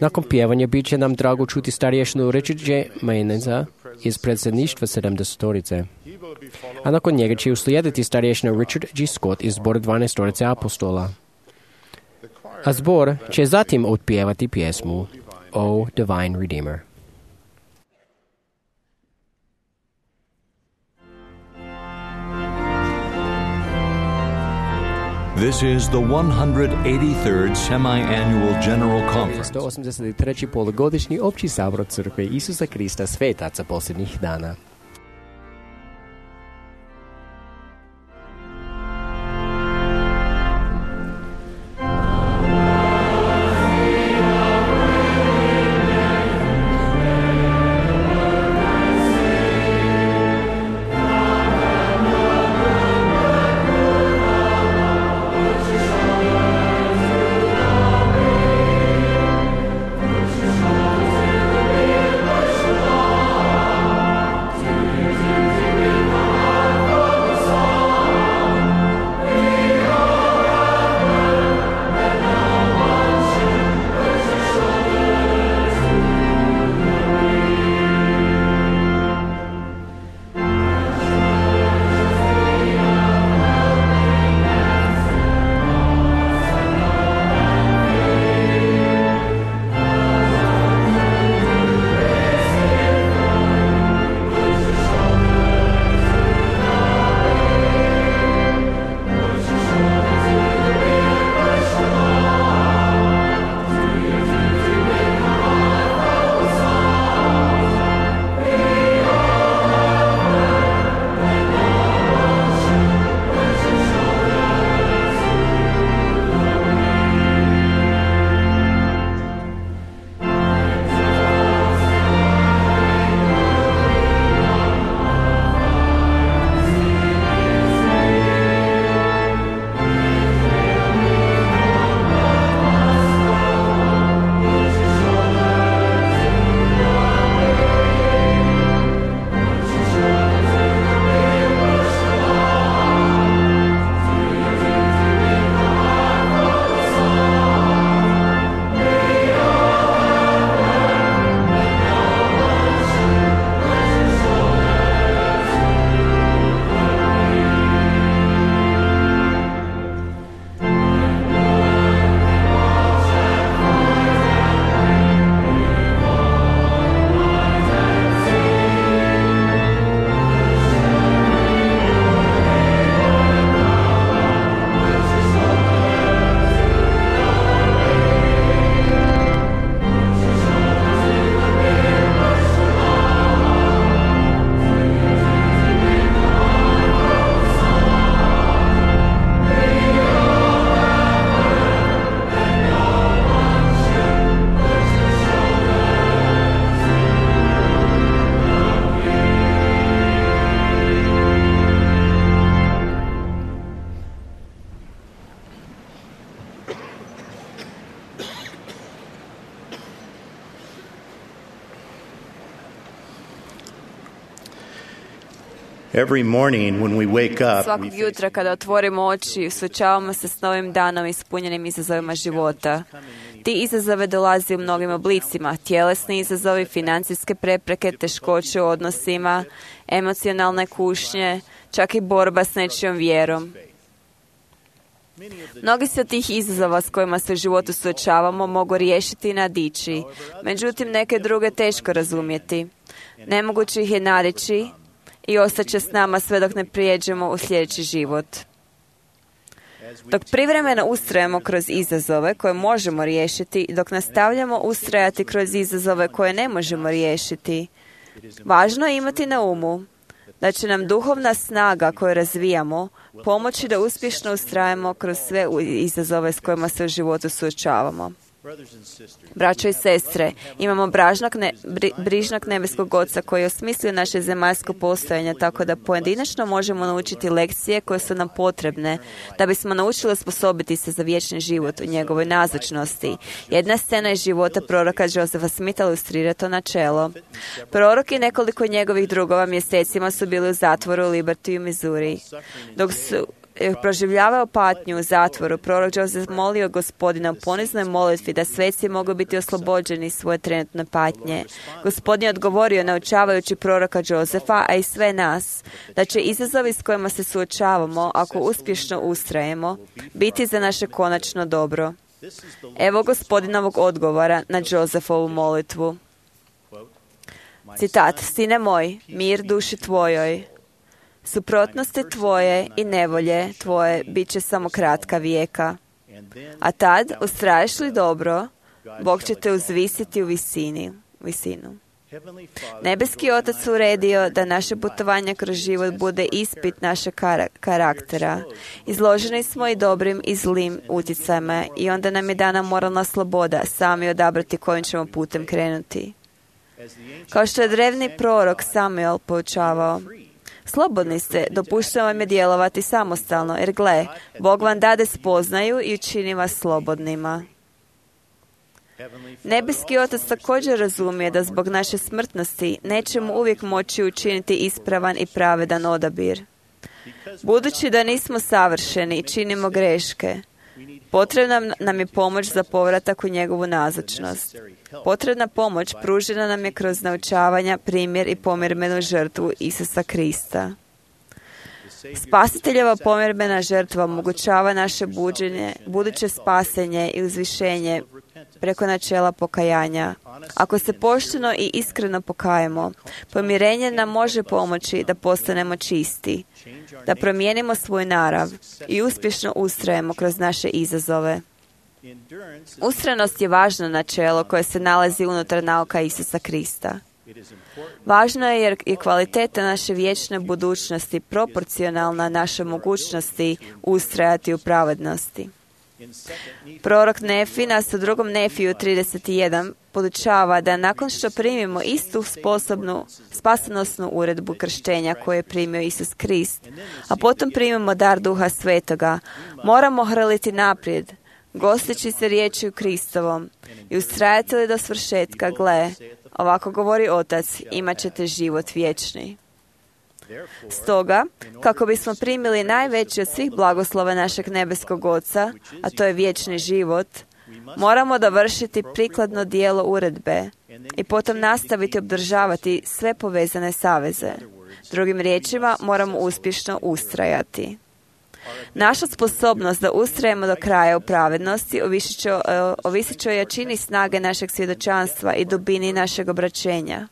Nakon pjevanja bit će nam drago čuti starješnu Richard J. Mayneza iz predsjedništva sedamdesetorice. A nakon njega će uslijediti starješna Richard G. Scott iz zbora dvanaestorice apostola. A zbor će zatim otpjevati pjesmu O Divine Redeemer. This is the one hundred eighty-third Semi-Annual General Conference. sto osamdeset treći polugodišnji opći sabor Crkve Isusa Krista svetaca posljednjih dana. To Every morning when we wake up, Svakog we jutra kada otvorimo oči, suočavamo se s novim danom ispunjenim izazovima života. Ti izazove dolaze u mnogim oblicima, tjelesni izazovi, financijske prepreke, teškoće u odnosima, emocionalne kušnje, čak i borba s nečijom vjerom. Mnogi se od tih izazova s kojima se u životu suočavamo mogu riješiti i nadići, međutim neke druge teško razumjeti. Nemoguće ih je nadići i ostaće s nama sve dok ne prijeđemo u sljedeći život. Dok privremeno ustrajemo kroz izazove koje možemo riješiti, dok nastavljamo ustrajati kroz izazove koje ne možemo riješiti, važno je imati na umu da će nam duhovna snaga koju razvijamo pomoći da uspješno ustrajemo kroz sve izazove s kojima se u životu suočavamo. Braćo i sestre, imamo bražnog ne, bri, brižnog nebeskog Oca koji je osmislio naše zemaljsko postojanje tako da pojedinačno možemo naučiti lekcije koje su nam potrebne da bismo naučili osposobiti se za vječni život u njegovoj nazočnosti. Jedna scena iz života proroka Josefa Smitha ilustrira to načelo. Prorok i nekoliko njegovih drugova mjesecima su bili u zatvoru u Liberty u Missouri. Dok su proživljavao patnju u zatvoru, prorok Joseph molio Gospodina u poniznoj molitvi da sveci mogu biti oslobođeni svoje trenutne patnje. Gospodin je odgovorio naučavajući proroka Josefa, a i sve nas, da će izazovi s kojima se suočavamo, ako uspješno ustrajemo, biti za naše konačno dobro. Evo Gospodinovog odgovora na Josefovu molitvu. Citat: Sine moj, mir duši tvojoj. Suprotnosti tvoje i nevolje tvoje bit će samo kratka vijeka. A tad, ustraješ li dobro, Bog će te uzvisiti u visini, visinu. Nebeski Otac uredio da naše putovanje kroz život bude ispit našeg karaktera. Izloženi smo i dobrim i zlim utjecajima i onda nam je dana moralna sloboda sami odabrati kojim ćemo putem krenuti. Kao što je drevni prorok Samuel poučavao, slobodni ste, dopuštam vam je djelovati samostalno, jer gle, Bog vam dade spoznaju i učini vas slobodnima. Nebeski Otac također razumije da zbog naše smrtnosti nećemo uvijek moći učiniti ispravan i pravedan odabir. Budući da nismo savršeni i činimo greške, potrebna nam je pomoć za povratak u njegovu nazočnost. Potrebna pomoć pružena nam je kroz naučavanja, primjer i pomirmenu žrtvu Isusa Krista. Spasiteljeva pomirbena žrtva omogućava naše buđenje, buduće spasenje i uzvišenje preko načela pokajanja. Ako se pošteno i iskreno pokajemo, pomirenje nam može pomoći da postanemo čisti, da promijenimo svoj narav i uspješno ustrajemo kroz naše izazove. Ustrajnost je važno načelo koje se nalazi unutar nauka Isusa Krista. Važno je jer je kvaliteta naše vječne budućnosti proporcionalna našoj mogućnosti ustrajati u pravednosti. Prorok Nefi nas u drugom Nefiju trideset jedan podučava da nakon što primimo istu sposobnu spasonosnu uredbu krštenja koju je primio Isus Krist, a potom primimo dar Duha Svetoga, moramo hrliti naprijed, gosteći se riječju Kristovom i ustrajati li do svršetka, gle, ovako govori Otac, imat ćete život vječni. Stoga, kako bismo primili najveći od svih blagoslova našeg nebeskog Oca, a to je vječni život, moramo dovršiti prikladno dijelo uredbe i potom nastaviti obdržavati sve povezane saveze. Drugim riječima, moramo uspješno ustrajati. Naša sposobnost da ustrajemo do kraja u pravednosti ovisit će o jačini snage našeg svjedočanstva i dubini našeg obraćenja.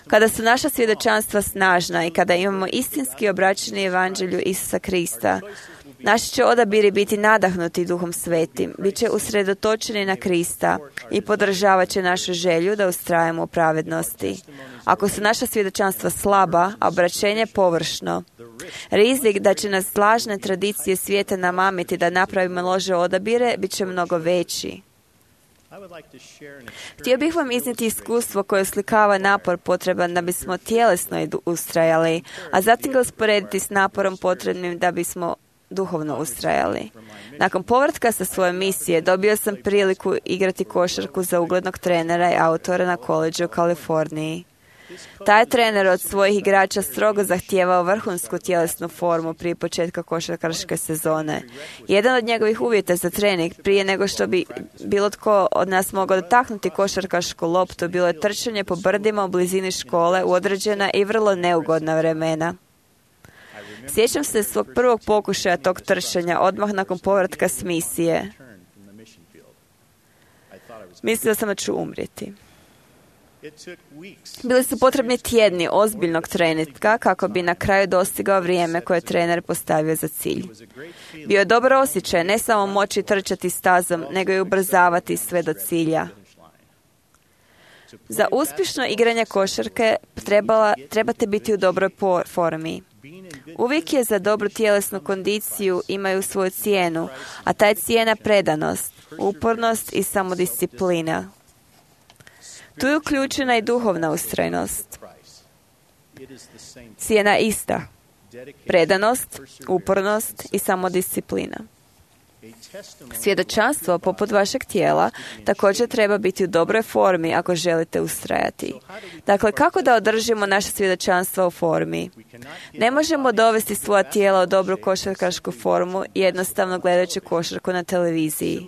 Kada su naša svjedočanstva snažna i kada imamo istinski obraćeni evanđelju Isusa Krista, naši će odabiri biti nadahnuti Duhom Svetim, bit će usredotočeni na Krista i podržavat će našu želju da ustrajemo u pravednosti. Ako su naša svjedočanstva slaba, a obraćenje površno, rizik da će nas lažne tradicije svijeta namamiti da napravimo loše odabire bit će mnogo veći. Htio bih vam iznijeti iskustvo koje oslikava napor potreban da bismo tjelesno ustrajali, a zatim ga usporediti s naporom potrebnim da bismo duhovno ustrajali. Nakon povratka sa svoje misije dobio sam priliku igrati košarku za uglednog trenera i autora na koledžu u Kaliforniji. Taj trener od svojih igrača strogo zahtijevao vrhunsku tjelesnu formu prije početka košarkaške sezone. Jedan od njegovih uvjeta za trening prije nego što bi bilo tko od nas mogao dotaknuti košarkašku loptu bilo je trčanje po brdima u blizini škole u određena i vrlo neugodna vremena. Sjećam se svog prvog pokušaja tog trčanja odmah nakon povratka s misije. Mislila sam da ću umrijeti. Bili su potrebni tjedni ozbiljnog treninga kako bi na kraju dostigao vrijeme koje je trener postavio za cilj. Bio je dobar osjećaj ne samo moći trčati stazom, nego i ubrzavati sve do cilja. Za uspješno igranje košarke trebala, trebate biti u dobroj formi. Uvijek je za dobru tjelesnu kondiciju imaju svoju cijenu, a ta je cijena predanost, upornost i samodisciplina. Tu je uključena i duhovna ustrajnost. Cijena ista. Predanost, upornost i samodisciplina. Svjedočanstvo poput vašeg tijela također treba biti u dobroj formi ako želite ustrajati. Dakle, kako da održimo naše svjedočanstvo u formi? Ne možemo dovesti svoja tijela u dobru košarkašku formu jednostavno gledajući košarku na televiziji.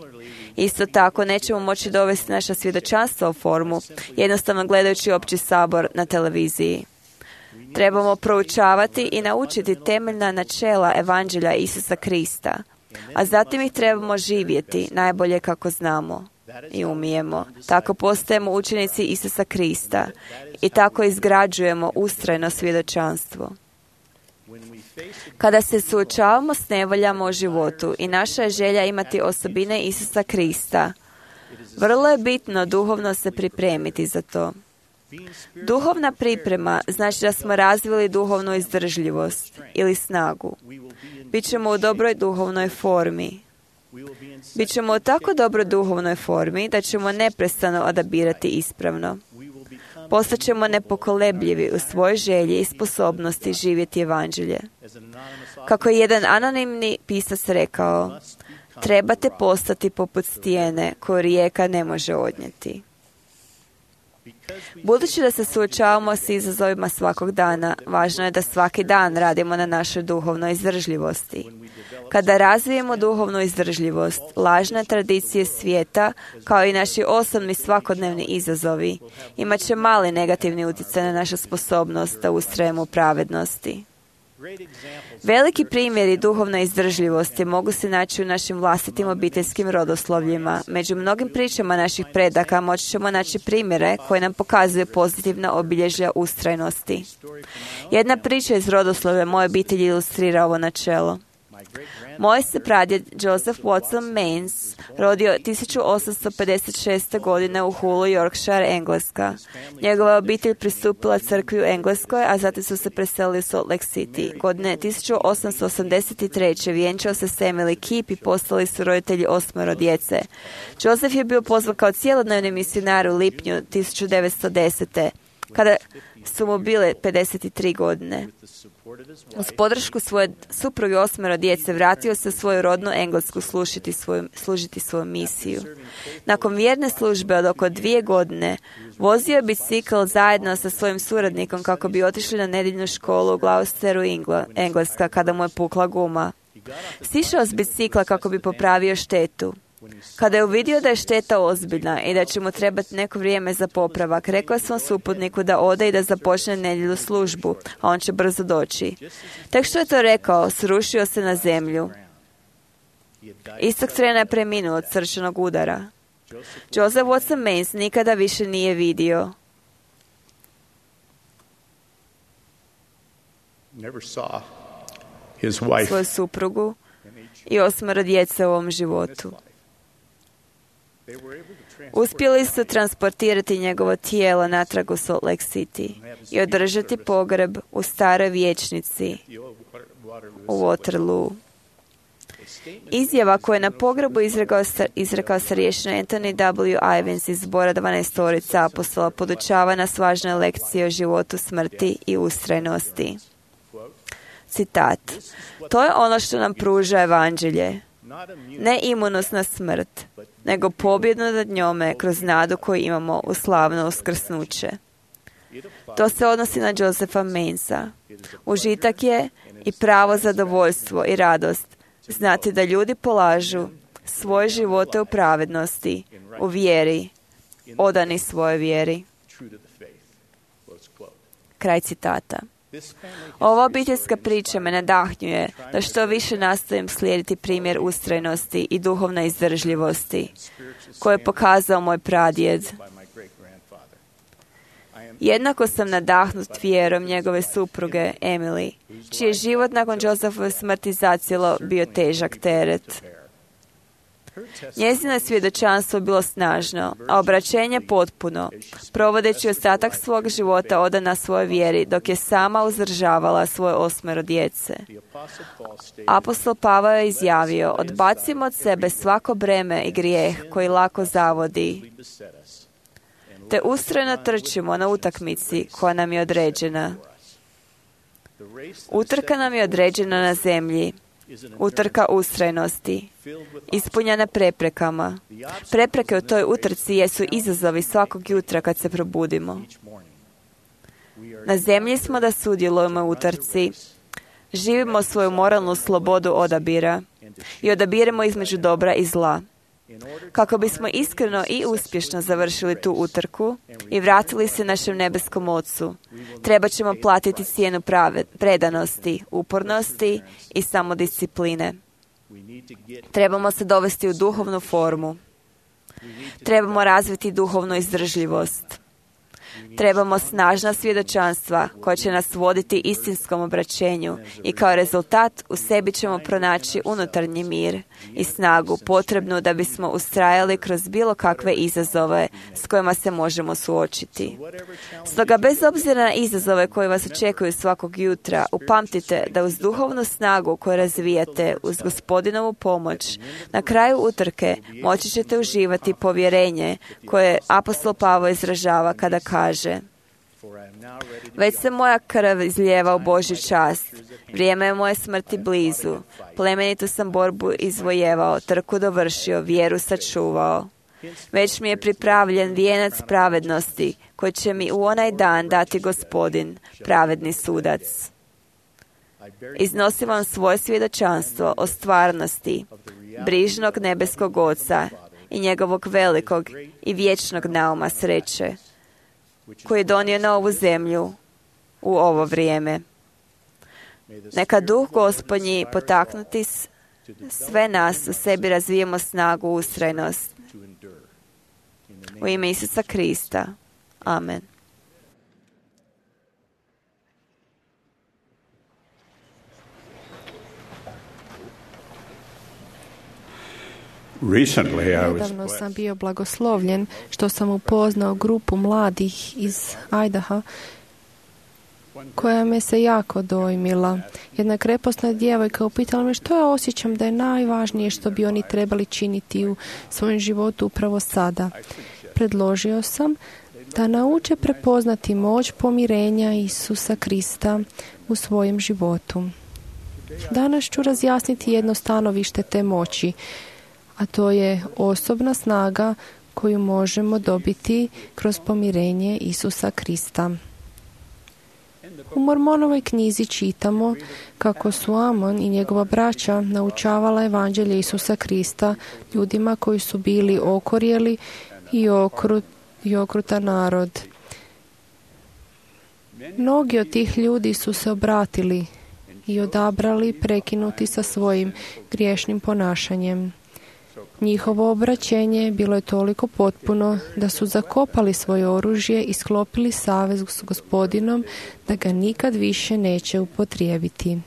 Isto tako, nećemo moći dovesti naša svjedočanstva u formu jednostavno gledajući opći sabor na televiziji. Trebamo proučavati i naučiti temeljna načela Evanđelja Isusa Krista, a zatim ih trebamo živjeti najbolje kako znamo i umijemo. Tako postajemo učenici Isusa Krista i tako izgrađujemo ustrajno svjedočanstvo. Kada se suočavamo s nevoljama u životu i naša je želja imati osobine Isusa Krista, vrlo je bitno duhovno se pripremiti za to. Duhovna priprema znači da smo razvili duhovnu izdržljivost ili snagu. Bićemo u dobroj duhovnoj formi. Bićemo u tako dobroj duhovnoj formi da ćemo neprestano odabirati ispravno. Postaćemo nepokolebljivi u svojoj želji i sposobnosti živjeti evanđelje. Kako je jedan anonimni pisac rekao, trebate postati poput stijene koju rijeka ne može odnijeti. Budući da se suočavamo s izazovima svakog dana, važno je da svaki dan radimo na našoj duhovnoj izdržljivosti. Kada razvijemo duhovnu izdržljivost, lažne tradicije svijeta, kao i naši osobni svakodnevni izazovi, imat će mali negativni utjecaj na našu sposobnost da ustrajemo u pravednosti. Veliki primjeri duhovne izdržljivosti mogu se naći u našim vlastitim obiteljskim rodoslovljima. Među mnogim pričama naših predaka moći ćemo naći primjere koje nam pokazuju pozitivna obilježja ustrajnosti. Jedna priča iz rodoslovlja moje obitelji ilustrira ovo načelo. Moj se pradjed Joseph Watson Mains rodio tisuću osamsto pedeset šeste. godine u Hullu, Yorkshire, Engleska. Njegova obitelj pristupila crkvi u Engleskoj, a zatim su se preselili u Salt Lake City. Godine tisuću osamsto osamdeset treće. vjenčao se s Emily Keep i postali su roditelji osmero djece. Joseph je bio pozvan kao cjelodnevni misionar u lipnju tisuću devetsto desete. kada su mu bile pedeset tri godine. Uz podršku svoje supruge osmero djece vratio se u svoju rodnu Englesku služiti svoju, služiti svoju misiju. Nakon vjerne službe od oko dvije godine vozio je bicikl zajedno sa svojim suradnikom kako bi otišli na nedjeljnu školu u Gloucesteru, Engleska, kada mu je pukla guma. Sišao s bicikla kako bi popravio štetu. Kada je uvidio da je šteta ozbiljna i da će mu trebati neko vrijeme za popravak, rekao je svom suputniku da ode i da započne nedjelju službu, a on će brzo doći. Tek što je to rekao, srušio se na zemlju. Istog trena je preminuo od srčanog udara. Joseph Watson Mains nikada više nije vidio. Svoju suprugu i osmero djece u ovom životu. Uspjeli su transportirati njegovo tijelo natrag u Salt Lake City i održati pogreb u staroj vijećnici u Waterloo. Izjava koju je na pogrebu izrekao, izrekao starješina Anthony W. Ivins iz zbora dvanaestorica apostola podučava nas važne lekcije o životu, smrti i ustrajnosti. Citat: to je ono što nam pruža evanđelje. Ne imunost na smrt, nego pobjedu nad njome kroz nadu koju imamo u slavno uskrsnuće. To se odnosi na Josepha Mainsa. Užitak je i pravo zadovoljstvo i radost znati da ljudi polažu svoje živote u pravednosti, u vjeri, odani svojoj vjeri. Kraj citata. Ova obiteljska priča me nadahnjuje da što više nastojim slijediti primjer ustrajnosti i duhovne izdržljivosti koje je pokazao moj pradjed. Jednako sam nadahnut vjerom njegove supruge Emily, čiji je život nakon Josephove smrti zacijelo bio težak teret. Njezino svjedočanstvo bilo snažno, a obraćenje potpuno, provodeći ostatak svog života odana svojoj vjeri, dok je sama uzdržavala svoje osmero djece. Apostol Pavao je izjavio: odbacimo od sebe svako breme i grijeh koji lako zavodi, te ustrajno trčimo na utakmici koja nam je određena. Utrka nam je određena na zemlji, utrka ustrajnosti, ispunjena preprekama. Prepreke u toj utrci jesu izazovi svakog jutra kad se probudimo. Na zemlji smo da sudjelujemo u utrci, živimo svoju moralnu slobodu odabira i odabiremo između dobra i zla. Kako bismo iskreno i uspješno završili tu utrku i vratili se našem nebeskom Ocu, treba ćemo platiti cijenu prave, predanosti, upornosti i samodiscipline. Trebamo se dovesti u duhovnu formu. Trebamo razviti duhovnu izdržljivost. Trebamo snažna svjedočanstva koja će nas voditi istinskom obraćenju i kao rezultat u sebi ćemo pronaći unutarnji mir i snagu potrebnu da bismo ustrajali kroz bilo kakve izazove s kojima se možemo suočiti. Stoga bez obzira na izazove koje vas očekuju svakog jutra, upamtite da uz duhovnu snagu koju razvijate, uz Gospodinovu pomoć, na kraju utrke moći ćete uživati povjerenje koje apostol Pavao izražava kada kaže: već se moja krv izlijeva u Božju čast, vrijeme je moje smrti blizu, plemenitu sam borbu izvojevao, trku dovršio, vjeru sačuvao. Već mi je pripravljen vijenac pravednosti, koji će mi u onaj dan dati Gospodin, pravedni sudac. Iznosim vam svoje svjedočanstvo o stvarnosti brižnog nebeskog Oca i njegovog velikog i vječnog nauma sreće, koji je donio na ovu zemlju u ovo vrijeme. Neka duh Gospodnji potaknuti sve nas u sebi razvijemo snagu, ustrajnost. U ime Isusa Krista. Amen. Nedavno sam bio blagoslovljen što sam upoznao grupu mladih iz Idaha koja me se jako dojmila. Jedna kreposna djevojka upitala me što ja osjećam da je najvažnije što bi oni trebali činiti u svojem životu upravo sada. Predložio sam da nauče prepoznati moć pomirenja Isusa Krista u svojem životu. Danas ću razjasniti jedno stanovište te moći, a to je osobna snaga koju možemo dobiti kroz pomirenje Isusa Krista. U Mormonovoj knjizi čitamo kako su Amon i njegova braća naučavala evanđelje Isusa Krista ljudima koji su bili okorjeli i, okrut, i okrutan narod. Mnogi od tih ljudi su se obratili i odabrali prekinuti sa svojim griješnim ponašanjem. Njihovo obraćenje bilo je toliko potpuno da su zakopali svoje oružje i sklopili savez s Gospodinom da ga nikad više neće upotrijebiti.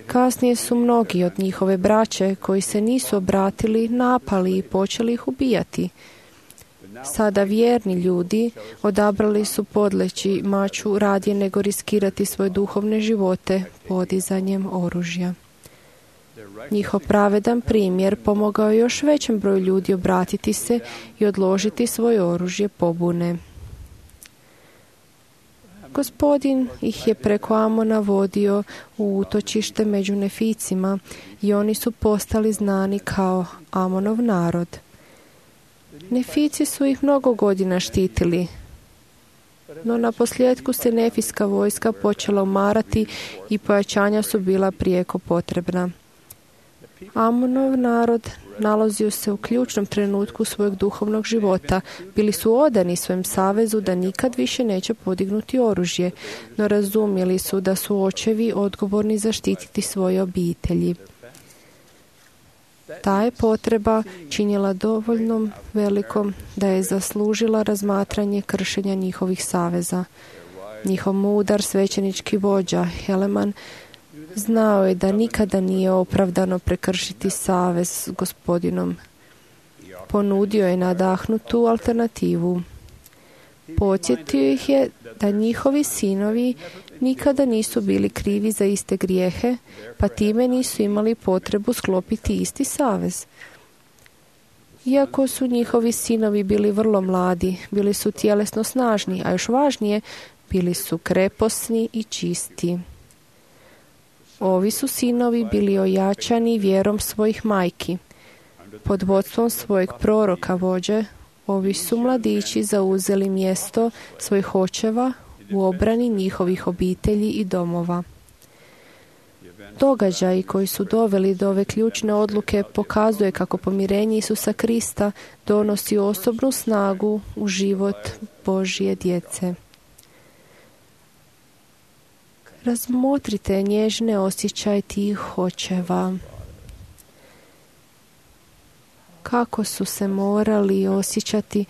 Kasnije su mnogi od njihove braće koji se nisu obratili napali i počeli ih ubijati. Sada vjerni ljudi odabrali su podleći maču radije nego riskirati svoje duhovne živote podizanjem oružja. Njihov pravedan primjer pomogao je još većem broju ljudi obratiti se i odložiti svoje oružje pobune. Gospodin ih je preko Amona vodio u utočište među Neficima i oni su postali znani kao Amonov narod. Nefici su ih mnogo godina štitili, No na posljedku se nefijska vojska počela umarati i pojačanja su bila prijeko potrebna. Amonov narod nalazio se u ključnom trenutku svojeg duhovnog života. Bili su odani svojem savezu da nikad više neće podignuti oružje, no razumjeli su da su očevi odgovorni zaštititi svoje obitelji. Ta je potreba činila dovoljno velikom da je zaslužila razmatranje kršenja njihovih saveza. Njihov mudar svećenički vođa Heleman znao je da nikada nije opravdano prekršiti savez s Gospodinom. Ponudio je nadahnutu alternativu. Podsjetio ih je da njihovi sinovi nikada nisu bili krivi za iste grijehe, pa time nisu imali potrebu sklopiti isti savez. Iako su njihovi sinovi bili vrlo mladi, bili su tjelesno snažni, a još važnije, bili su kreposni i čisti. Ovi su sinovi bili ojačani vjerom svojih majki. Pod vodstvom svojeg proroka vođe, ovi su mladići zauzeli mjesto svojih očeva u obrani njihovih obitelji i domova. Događaji koji su doveli do ove ključne odluke pokazuje kako pomirenje Isusa Krista donosi osobnu snagu u život Božje djece. Razmotrite nježne osjećaje tih očeva. Kako su se morali osjećati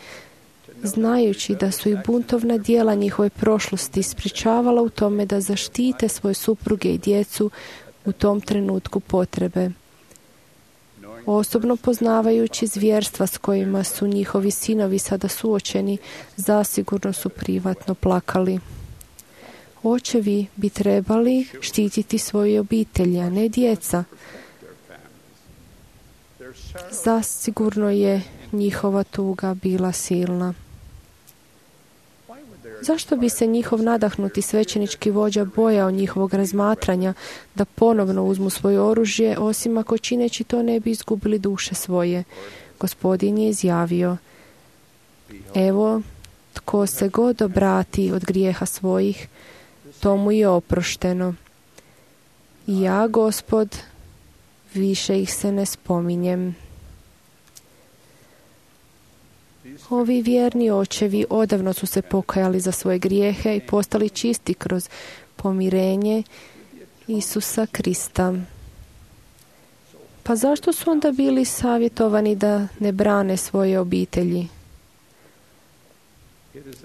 znajući da su i buntovna djela njihove prošlosti sprječavala u tome da zaštite svoje supruge i djecu u tom trenutku potrebe. Osobno poznavajući zvjerstva s kojima su njihovi sinovi sada suočeni, zasigurno su privatno plakali. Očevi bi trebali štititi svoje obitelji, a ne djeca. Zasigurno je njihova tuga bila silna. Zašto bi se njihov nadahnuti svećenički vođa bojao njihovog razmatranja da ponovno uzmu svoje oružje, osim ako čineći to ne bi izgubili duše svoje? Gospodin je izjavio: evo, tko se god obrati od grijeha svojih, tomu je oprošteno. I ja, Gospod, više ih se ne spominjem. Ovi vjerni očevi odavno su se pokajali za svoje grijehe i postali čisti kroz pomirenje Isusa Krista. Pa zašto su onda bili savjetovani da ne brane svoje obitelji?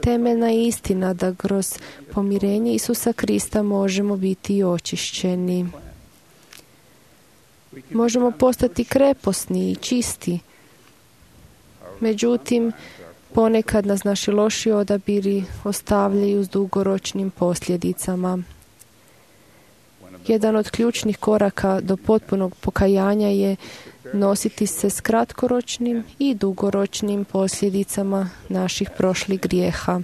Temeljna je istina da kroz pomirenje Isusa Krista možemo biti očišćeni. Možemo postati kreposni i čisti. Međutim, ponekad nas naši loši odabiri ostavljaju s dugoročnim posljedicama. Jedan od ključnih koraka do potpunog pokajanja je nositi se s kratkoročnim i dugoročnim posljedicama naših prošlih grijeha.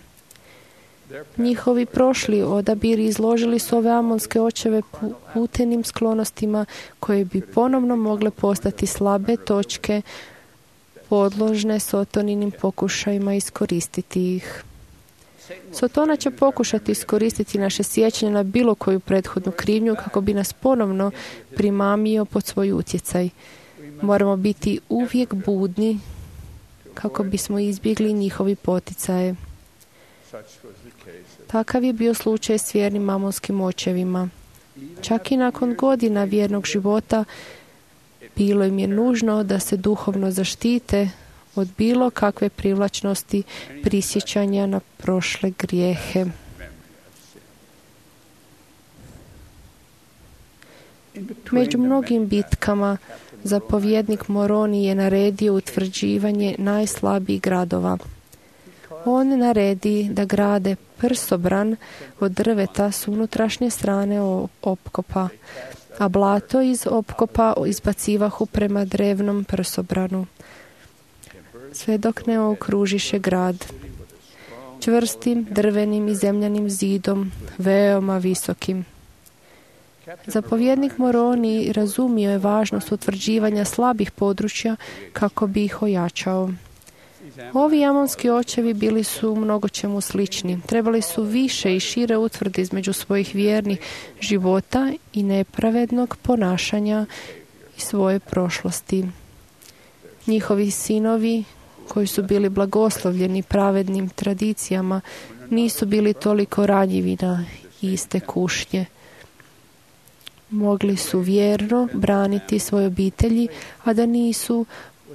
Njihovi prošli odabiri izložili su ove amonske očeve putenim sklonostima koje bi ponovno mogle postati slabe točke podložne Sotoninim pokušajima iskoristiti ih. Sotona će pokušati iskoristiti naše sjećanje na bilo koju prethodnu krivnju kako bi nas ponovno primamio pod svoj utjecaj. Moramo biti uvijek budni kako bismo izbjegli njihovi poticaje. Takav je bio slučaj s vjernim amonskim očevima. Čak i nakon godina vjernog života bilo im je nužno da se duhovno zaštite od bilo kakve privlačnosti prisjećanja na prošle grijehe. Među mnogim bitkama zapovjednik Moroni je naredio utvrđivanje najslabijih gradova. On naredi da grade prsobran od drveta s unutrašnje strane opkopa, a blato iz opkopa izbacivahu prema drevnom prsobranu, sve dok ne okružiše grad čvrstim drvenim i zemljanim zidom, veoma visokim. Zapovjednik Moroni razumio je važnost utvrđivanja slabih područja kako bi ih ojačao. Ovi amonski očevi bili su u mnogo čemu slični. Trebali su više i šire utvrde između svojih vjernih života i nepravednog ponašanja i svoje prošlosti. Njihovi sinovi, koji su bili blagoslovljeni pravednim tradicijama, nisu bili toliko ranjivi na iste kušnje. Mogli su vjerno braniti svoje obitelji, a da nisu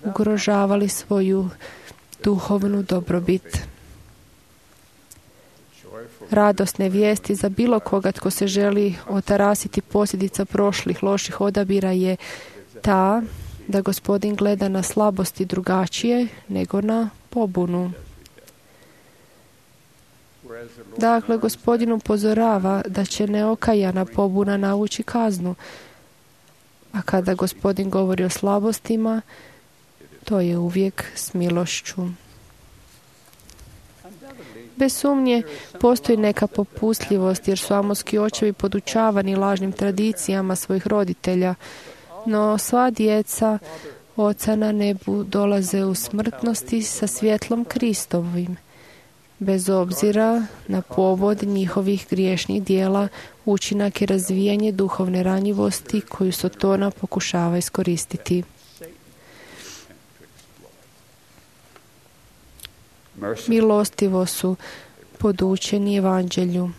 ugrožavali svoju duhovnu dobrobit. Radosne vijesti za bilo koga tko se želi otarasiti posljedica prošlih loših odabira je ta da Gospodin gleda na slabosti drugačije nego na pobunu. Dakle, Gospodin upozorava da će neokajana pobuna navući kaznu, a kada Gospodin govori o slabostima, to je uvijek s milošću. Bez sumnje, postoji neka popustljivost jer su amonski očevi podučavani lažnim tradicijama svojih roditelja, no sva djeca Oca na nebu dolaze u smrtnosti sa svjetlom Kristovim. Bez obzira na povod njihovih griješnih dijela, učinak je razvijanje duhovne ranjivosti koju Sotona pokušava iskoristiti. Milostivo su podučeni evanđelju.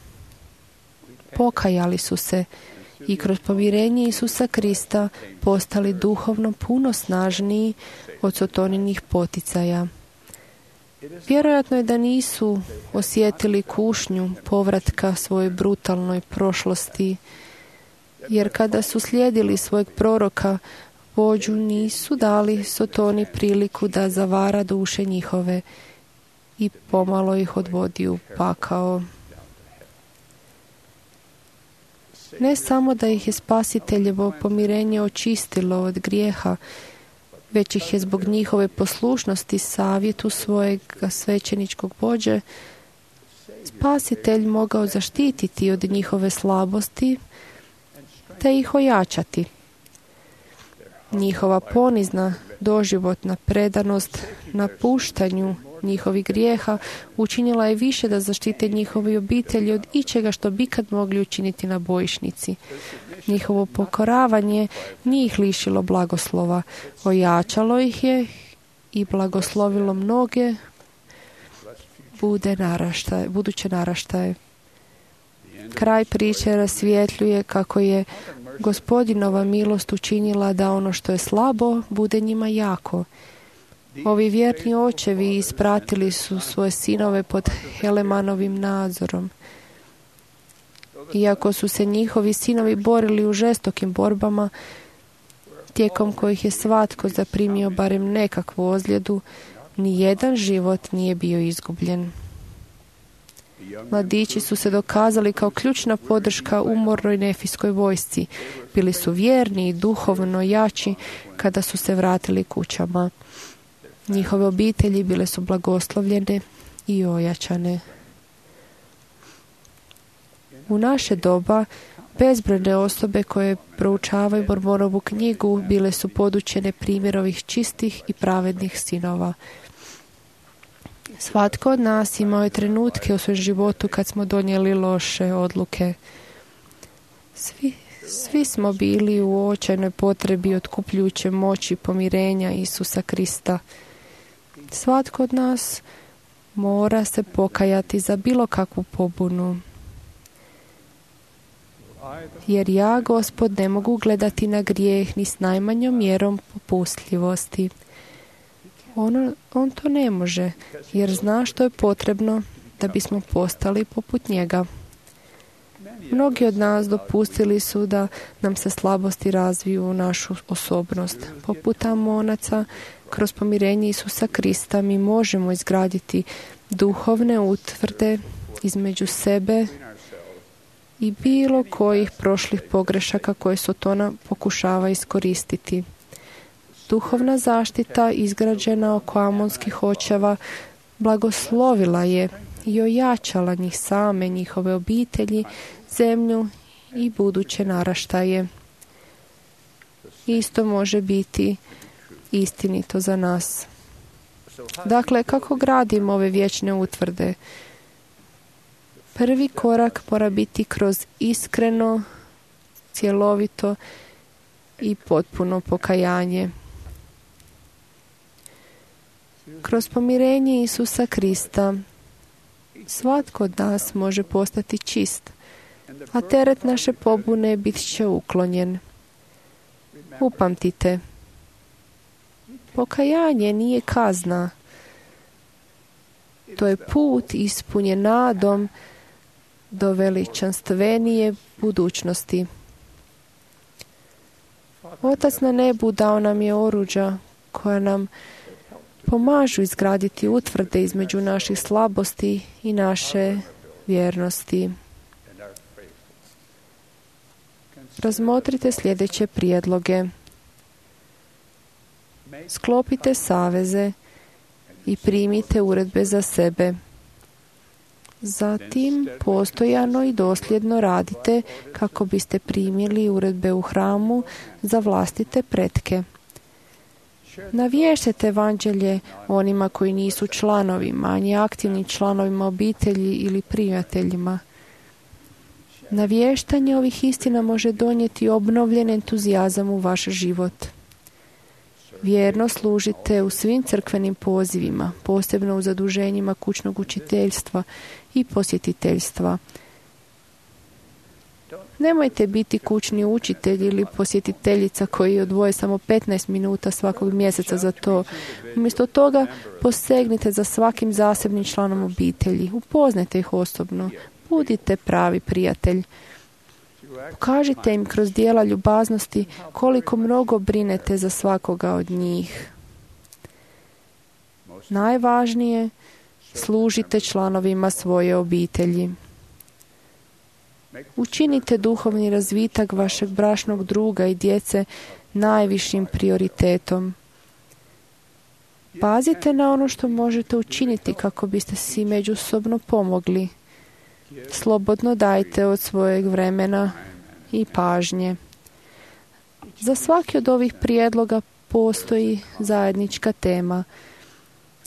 Pokajali su se i kroz pomirenje Isusa Krista postali duhovno puno snažniji od Sotoninih poticaja. Vjerojatno je da nisu osjetili kušnju povratka svojoj brutalnoj prošlosti, jer kada su slijedili svojeg proroka, vođu nisu dali Sotoni priliku da zavara duše njihove i pomalo ih odvodi u pakao. Ne samo da ih je Spasiteljevo pomirenje očistilo od grijeha, već ih je zbog njihove poslušnosti savjetu svojeg svećeničkog vođe Spasitelj mogao zaštititi od njihove slabosti te ih ojačati. Njihova ponizna doživotna predanost napuštanju njihovih grijeha učinila je više da zaštite njihove obitelji od ičega što bi kad mogli učiniti na bojišnici. Njihovo pokoravanje nije ih lišilo blagoslova, ojačalo ih je i blagoslovilo mnoge bude naraštaje, buduće naraštaje. Kraj priče rasvjetljuje kako je Gospodinova milost učinila da ono što je slabo bude njima jako. Ovi vjerni očevi ispratili su svoje sinove pod Helemanovim nadzorom. Iako su se njihovi sinovi borili u žestokim borbama, tijekom kojih je svatko zaprimio barem nekakvu ozljedu, ni jedan život nije bio izgubljen. Mladići su se dokazali kao ključna podrška umornoj nefijskoj vojsci. Bili su vjerni i duhovno jači kada su se vratili kućama. Njihove obitelji bile su blagoslovljene i ojačane. U naše doba bezbrojne osobe koje proučavaju Mormonovu knjigu bile su podučene primjerovih čistih i pravednih sinova. Svatko od nas imao je trenutke u svom životu kad smo donijeli loše odluke. Svi, svi smo bili u očajnoj potrebi otkupljujuće moći pomirenja Isusa Krista. Svatko od nas mora se pokajati za bilo kakvu pobunu. Jer ja, Gospod, ne mogu gledati na grijeh ni s najmanjom mjerom popustljivosti. On, on to ne može, jer zna što je potrebno da bismo postali poput njega. Mnogi od nas dopustili su da nam se slabosti razviju u našu osobnost. Poput Amonaca, kroz pomirenje Isusa Krista mi možemo izgraditi duhovne utvrde između sebe i bilo kojih prošlih pogrešaka koje Sotona pokušava iskoristiti. Duhovna zaštita izgrađena oko amonskih očeva blagoslovila je i ojačala njih same, njihove obitelji, zemlju i buduće naraštaje. Isto može biti istinito za nas. Dakle, kako gradimo ove vječne utvrde? Prvi korak mora biti kroz iskreno, cjelovito i potpuno pokajanje. Kroz pomirenje Isusa Krista svatko od nas može postati čist, a teret naše pobune bit će uklonjen. Upamtite, pokajanje nije kazna. To je put ispunjen nadom do veličanstvenije budućnosti. Otac na nebu dao nam je oruđa koja nam pomažu izgraditi utvrde između naših slabosti i naše vjernosti. Razmotrite sljedeće prijedloge. Sklopite saveze i primite uredbe za sebe. Zatim postojano i dosljedno radite kako biste primili uredbe u hramu za vlastite pretke. Navještite evanđelje onima koji nisu članovi, manje aktivnim članovima obitelji ili prijateljima. Navještanje ovih istina može donijeti obnovljen entuzijazam u vaš život. Vjerno služite u svim crkvenim pozivima, posebno u zaduženjima kućnog učiteljstva i posjetiteljstva. Nemojte biti kućni učitelj ili posjetiteljica koji odvoje samo petnaest minuta svakog mjeseca za to. Umjesto toga posegnite za svakim zasebnim članom obitelji. Upoznajte ih osobno. Budite pravi prijatelj. Pokažite im kroz dijela ljubaznosti koliko mnogo brinete za svakoga od njih. Najvažnije, služite članovima svoje obitelji. Učinite duhovni razvitak vašeg bračnog druga i djece najvišim prioritetom. Pazite na ono što možete učiniti kako biste si međusobno pomogli. Slobodno dajte od svojeg vremena i pažnje. Za svaki od ovih prijedloga postoji zajednička tema.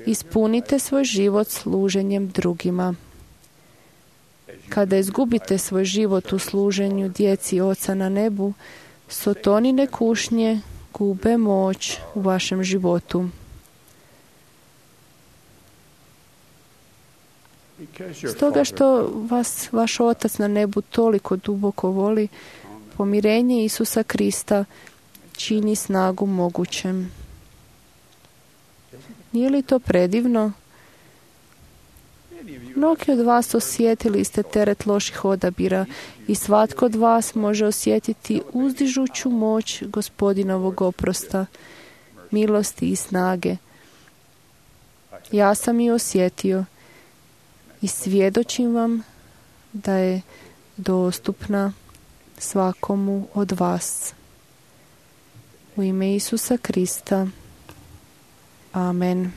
Ispunite svoj život služenjem drugima. Kada izgubite svoj život u služenju djeci Oca na nebu, sotonine kušnje gube moć u vašem životu. Stoga što vas vaš Otac na nebu toliko duboko voli, pomirenje Isusa Krista čini snagu mogućem. Nije li to predivno? Mnogi od vas osjetili ste teret loših odabira i svatko od vas može osjetiti uzdižuću moć Gospodinovog oprosta, milosti i snage. Ja sam i osjetio i svjedočim vam da je dostupna svakomu od vas. U ime Isusa Krista. Amen.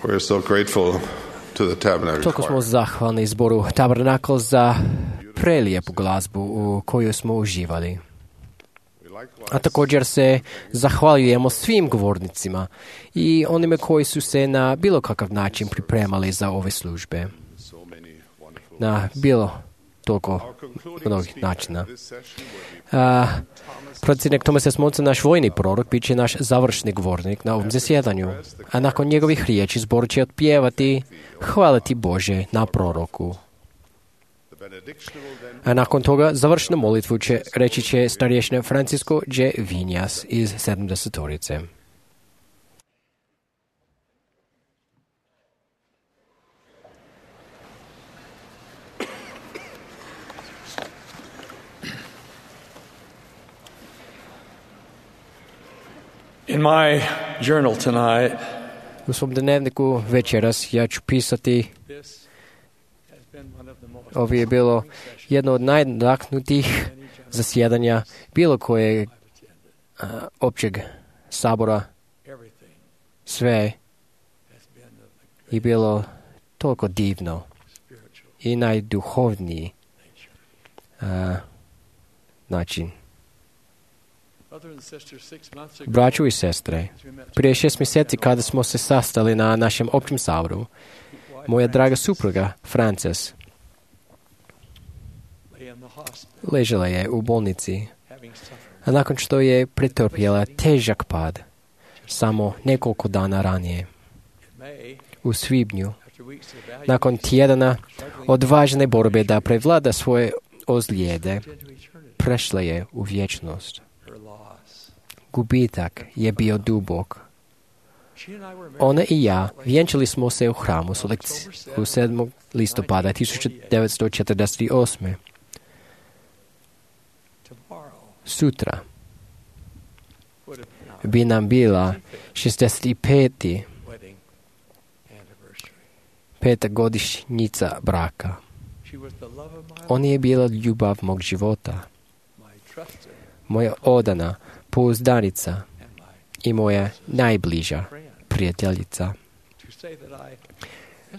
We're so grateful to the Tabernacle Toliko smo Choir. zahvalni zboru Tabernakl za prelijepu glazbu u kojoj smo uživali. A također se zahvaljujemo svim govornicima i onime koji su se na bilo kakav način pripremali za ove službe. Na bilo toliko mnogih načina. A, Predsjednik Thomas S. Monson, naš vojni prorok, bit će naš završni govornik na ovom zasjedanju. A nakon njegovih riječi zbor će otpjevati hvaliti Bože na proroku. A nakon toga završnu molitvu će reći će starješina Francisco G. Vinjas iz sedamdesetorice. In my journal tonight, U svom dnevniku večeras ja ću pisati, ovo je bilo jedno od najnadahnutih zasjedanja bilo kojeg a, općeg sabora. Sve je bilo toliko divno i najduhovniji a, način. Braćo i sestre, prije šest mjeseci kada smo se sastali na našem općem saboru, moja draga supruga, Frances, ležela je u bolnici, a nakon što je pretrpjela težak pad, samo nekoliko dana ranije. U svibnju, nakon tjedana odvažne borbe da prevlada svoje ozljede, prešla je u vječnost. Gubitak je bio dubok. Ona i ja vjenčali smo se u hramu u sedmog listopada tisuću devetsto četrdeset osme. Sutra bi nam bila šezdeset peta peta godišnjica braka. On je bila ljubav mog života, moja odana pouzdanica i moja najbliža prijateljica.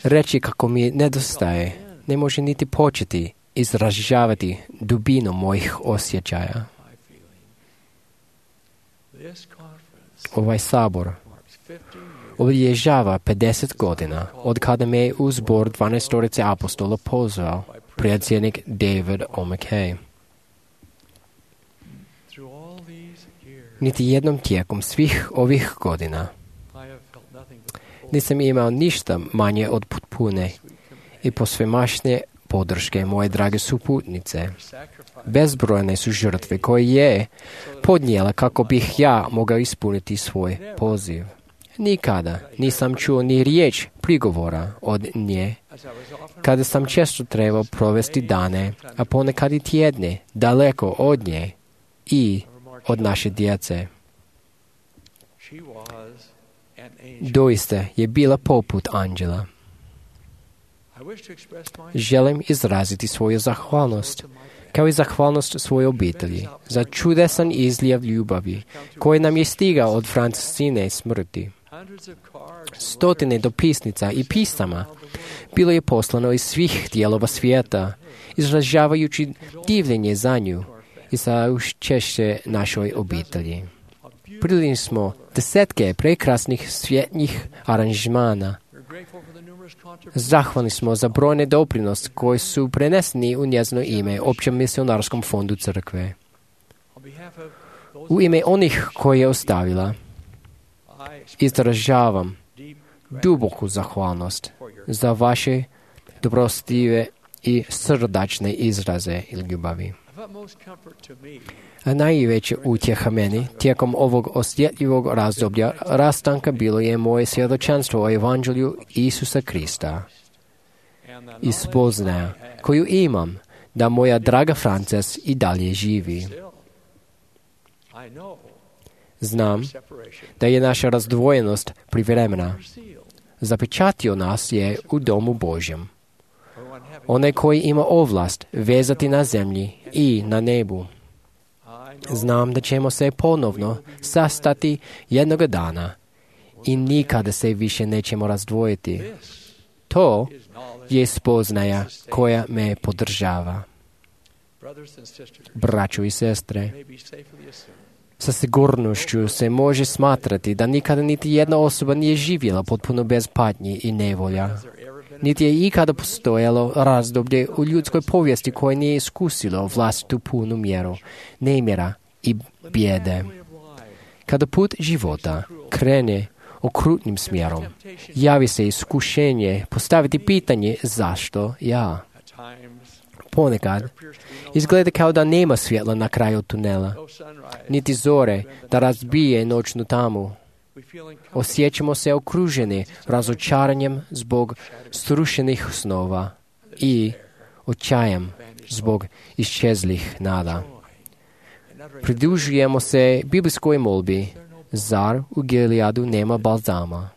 Reći kako mi nedostaje ne može niti početi izražavati dubinu mojih osjećaja. Ovaj sabor obilježava pedeset godina od kada me je u zbor dvanaestorice apostola pozvao predsjednik David O. McKay. Niti jednom tijekom svih ovih godina nisam imao ništa manje od potpune i posvemašnje podrške moje drage suputnice. Bezbrojne su žrtve koje je podnijela kako bih ja mogao ispuniti svoj poziv. Nikada nisam čuo ni riječ prigovora od nje, kada sam često trebao provesti dane, a ponekad i tjedne, daleko od nje i od naše djece. Doista je bila poput anđela. Želim izraziti svoju zahvalnost, kao i zahvalnost svoje obitelji, za čudesan izljev ljubavi koji nam je stigao od Francescine smrti. Stotine dopisnica i pisama bilo je poslano iz svih dijelova svijeta, izražavajući divljenje za nju i za učešće našoj obitelji. Primili smo desetke prekrasnih svjetnjih aranžmana. Zahvalni smo za brojne doprinos koji su preneseni u njezino ime Općem misionarskom fondu crkve. U ime onih koje je ostavila, izražavam duboku zahvalnost za vaše dobrostive i srdačne izraze i ljubavi. A najveća utjeha meni tijekom ovog osjetljivog razdoblja rastanka bilo je moje svjedočanstvo o Evanđelju Isusa Krista i spoznaja koju imam da moja draga Frances i dalje živi. Znam da je naša razdvojenost privremena. Zapečatio nas je u domu Božjem. Onaj koji ima ovlast vezati na zemlji i na nebu. Znam da ćemo se ponovno sastati jednoga dana i nikada se više nećemo razdvojiti. To je spoznaja koja me podržava. Braćo i sestre, sa sigurnošću se može smatrati da nikada niti jedna osoba nije živjela potpuno bez patnji i nevolja. Niti je ikada postojalo razdoblje u ljudskoj povijesti koje nije iskusilo vlastitu punu mjeru nemira i bijede. Kada put života krene okrutnim smjerom, javi se iskušenje postaviti pitanje zašto ja. Ponekad izgleda kao da nema svjetla na kraju tunela, niti zore da razbije noćnu tamu. Osjećamo se okruženi razočaranjem zbog srušenih snova i očajem zbog iščezlih nada. Pridružujemo se biblijskoj molbi, zar u Gileadu nema balzama?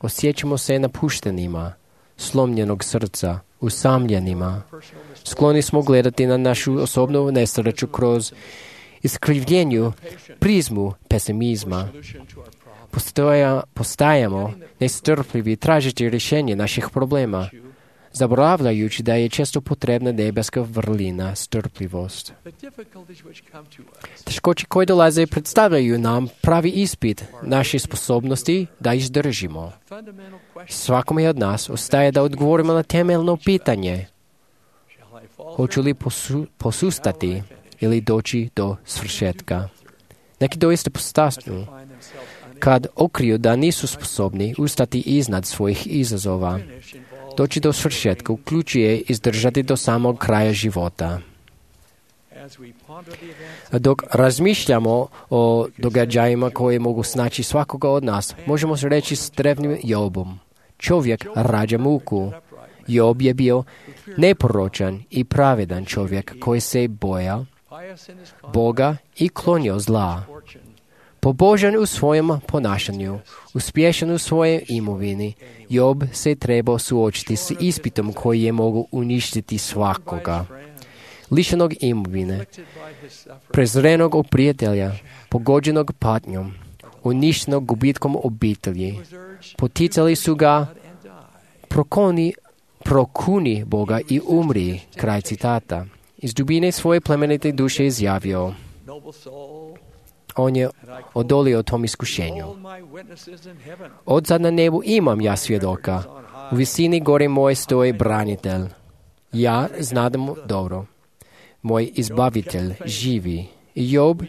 Osjećamo se napuštenima, slomljenog srca, usamljenima. Skloni smo gledati na našu osobnu nesreću kroz iskrivljenju prizmu pesimizma. Postoja, postajamo nestrpljivi tražiti rješenje naših problema, zaboravljajući da je često potrebna nebeska vrlina, strpljivost. Teškoće koje dolaze predstavljaju nam pravi ispit naše sposobnosti da izdržimo. Svakome od nas ostaje da odgovorimo na temeljno pitanje: hoću li posu, posustati ili doći do svršetka? Neki doista postasnu kad okriju da nisu sposobni ustati iznad svojih izazova. Doći do svršetka uključuje izdržati do samog kraja života. Dok razmišljamo o događajima koje mogu snaći svakoga od nas, možemo se reći s drevnim Jobom: čovjek rađa muku. Job je bio neporočan i pravedan čovjek koji se bojao Boga i klonio zla. Pobožan u svojem ponašanju, uspješan u svojoj imovini, Job se trebao suočiti s ispitom koji je mogu uništiti svakoga. Lišenog imovine, prezrenog od prijatelja, pogođenog patnjom, uništenog gubitkom obitelji, poticali su ga prokoni, prokuni Boga i umri. Kraj citata. Iz dubine svoje plemenite duše izjavio: on je odolio tom iskušenju. Odzad na nebu imam ja svjedoka, u visini gore moje stoji branitelj. Ja znadem dobro, moj izbavitelj živi. I Job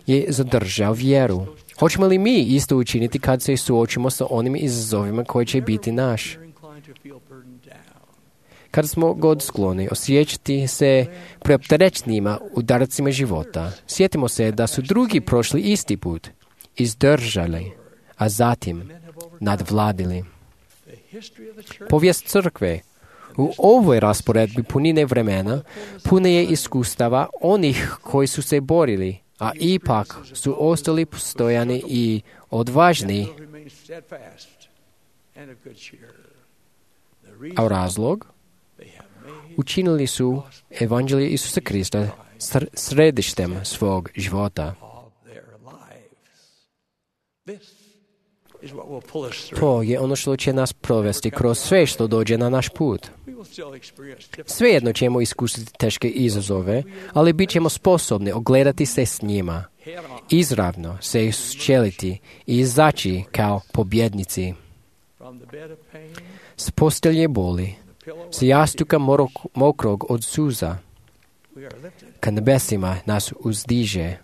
je zadržao vjeru. Hoćemo li mi isto učiniti kad se suočimo sa onim izazovima koji će biti naš? Kad smo god skloni osjećati se preopterećenima udarcima života, sjetimo se da su drugi prošli isti put, izdržali, a zatim nadvladili. Povijest crkve u ovoj rasporedbi punine vremena pune je iskustava onih koji su se borili, a ipak su ostali postojani i odvažni. A razlog? Učinili su evanđelje Isusa Krista središtem svog života. To je ono što će nas provesti kroz sve što dođe na naš put. Svejedno ćemo iskusiti teške izazove, ali bit ćemo sposobni ogledati se s njima, izravno se isčeliti i izaći kao pobjednici. S postelje boli, s jastuka mokrog od suza, ka nebesima nas uzdiže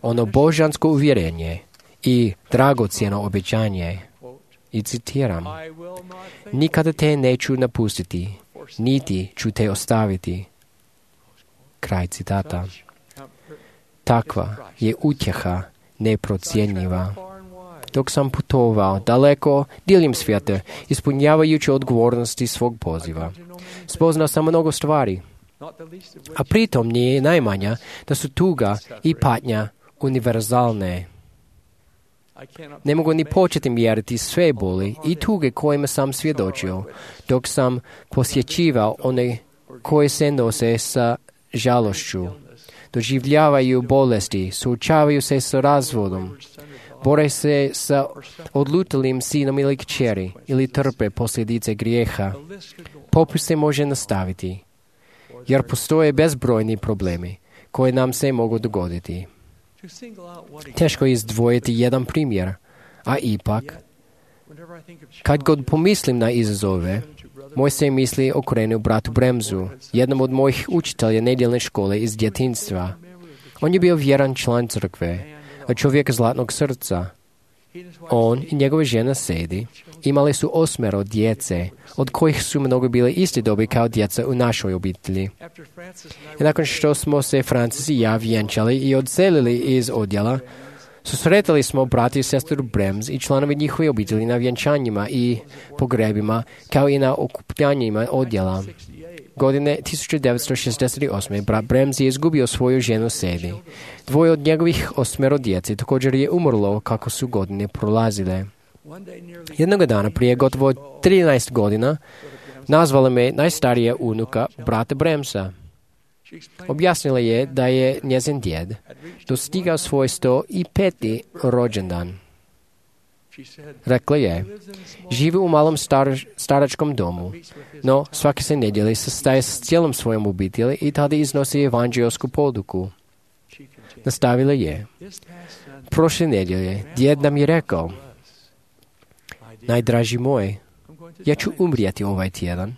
ono božansko uvjerenje i dragocjeno obećanje. I citiram: nikada te neću napustiti, niti ću te ostaviti. Kraj citata. Takva je utjeha neprocjenjiva. Dok sam putovao daleko diljem svijeta, ispunjavajući odgovornosti svog poziva, spoznao sam mnogo stvari, a pritom nije najmanja da su tuga i patnja univerzalne. Ne mogu ni početi mjeriti sve boli i tuge kojima sam svjedočio, dok sam posjećivao one koje se nose sa žalošću, doživljavaju bolesti, suočavaju se s razvodom, bore se sa odlutalim sinom ili kćeri ili trpe posljedice grijeha. Popis se može nastaviti, jer postoje bezbrojni problemi koje nam se mogu dogoditi. Teško je izdvojiti jedan primjer, a ipak, kad god pomislim na izazove, moj se misli okrenu bratu Bremsu, jednom od mojih učitelja nedjeljne škole iz djetinjstva. On je bio vjeran član crkve, a čovjek zlatnog srca. On i njegova žena Sedi imali su osmero djece, od kojih su mnogo bile isti dobi kao djeca u našoj obitelji. I nakon što smo se Francis i ja vjenčali i odselili iz odjela, susretali smo brati i sestru Brems i članovi njihove obitelji na vjenčanjima i pogrebima, kao i na okupljanjima odjela. Godine tisuću devetsto šezdeset osme brat Brems je izgubio svoju ženu Sedi. Dvoje od njegovih osmero djece također je umrlo kako su godine prolazile. Jednog dana prije gotovo trinaest godina nazvala me najstarija unuka brata Bremsa. Objasnila je da je njezin djed dostigao svoj sto peti rođendan. Rekla je, živi u malom star, staračkom domu, no svake se nedjelje sastaje s cijelom svojom obitelji i tada iznosi evanđeosku poduku. Nastavila je, prošle nedjelje djed nam je rekao, najdraži moj, ja ću umrijeti ovaj tjedan.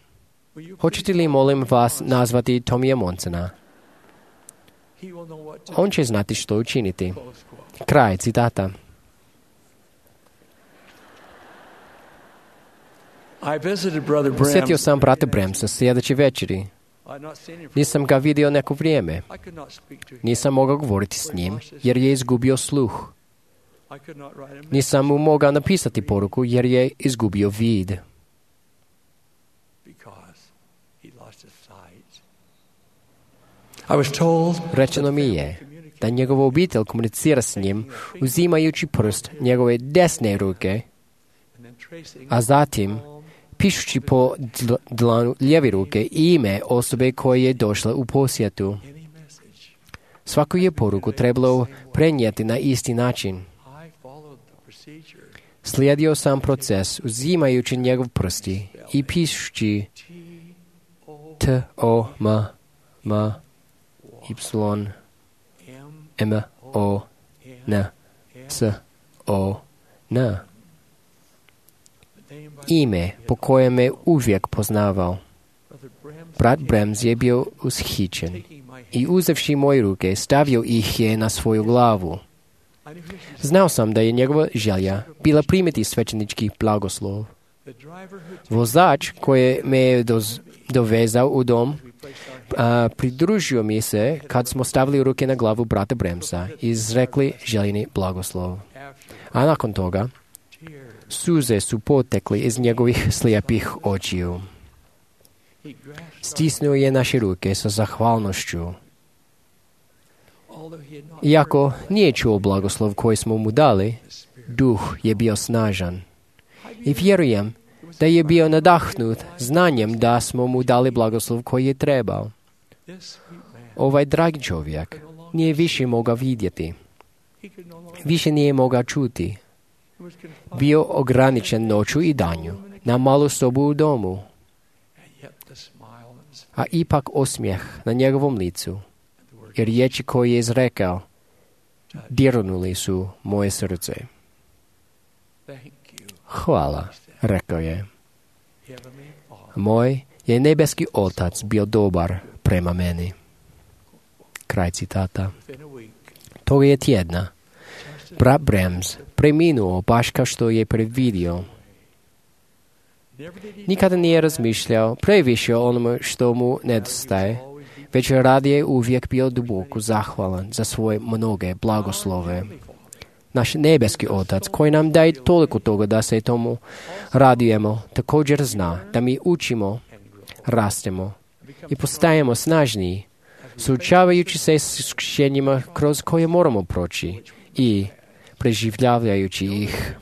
Hoćete li, molim vas, nazvati Tomija Monsona? On će znati što učiniti. Kraj citata. Posjetio sam brata Bremsa sljedeće večeri. Nisam ga vidio neko vrijeme. Nisam mogao govoriti s njim jer je izgubio sluh. Nisam mu mogao napisati poruku jer je izgubio vid. Rečeno mi je da njegova obitelj komunicira s njim uzimajući prst njegove desne ruke, a zatim pišući po dlanu lijeve ruke ime osobe koje je došla u posjetu. Svaku je poruku trebalo prenijeti na isti način. Slijedio sam proces uzimajući njegov prsti i pišući T, O, M, M, Y, M, O, N, S, O, N. Ime po kojem me uvijek poznavao. Brat Brems je bio ushićen i uzevši moje ruke stavio ih je na svoju glavu. Znao sam da je njegova želja bila primiti svećenički blagoslov. Vozač koji me je doz, dovezao u dom a, pridružio mi se kad smo stavili ruke na glavu brata Bremsa i izrekli željeni blagoslov. A nakon toga suze su potekli iz njegovih slijepih očiju. Stisnuo je naše ruke sa zahvalnošću. Iako nije čuo blagoslov koji smo mu dali, duh je bio snažan. I vjerujem da je bio nadahnut znanjem da smo mu dali blagoslov koji je trebao. Ovaj dragi čovjek nije više mogao vidjeti. Više nije mogao čuti. Bio ograničen noću i danju na malu sobu u domu. A ipak osmijeh na njegovom licu i riječi koje je izrekao dirnuli su moje srce. Hvala, rekao je. Moj je nebeski otac bio dobar prema meni. Kraj citata. Toga je tjedna brat Brems preminuo baš kao što je predvidio. Nikada nije razmišljao previše o onome što mu nedostaje, već radije uvijek bio duboko zahvalan za svoje mnoge blagoslove. Naš nebeski otac koji nam daje toliko toga da se tomu radujemo, također zna da mi učimo, rastemo i postajemo snažniji, suočavajući se s iskušenjima kroz koje moramo proći i preživljavajući ih.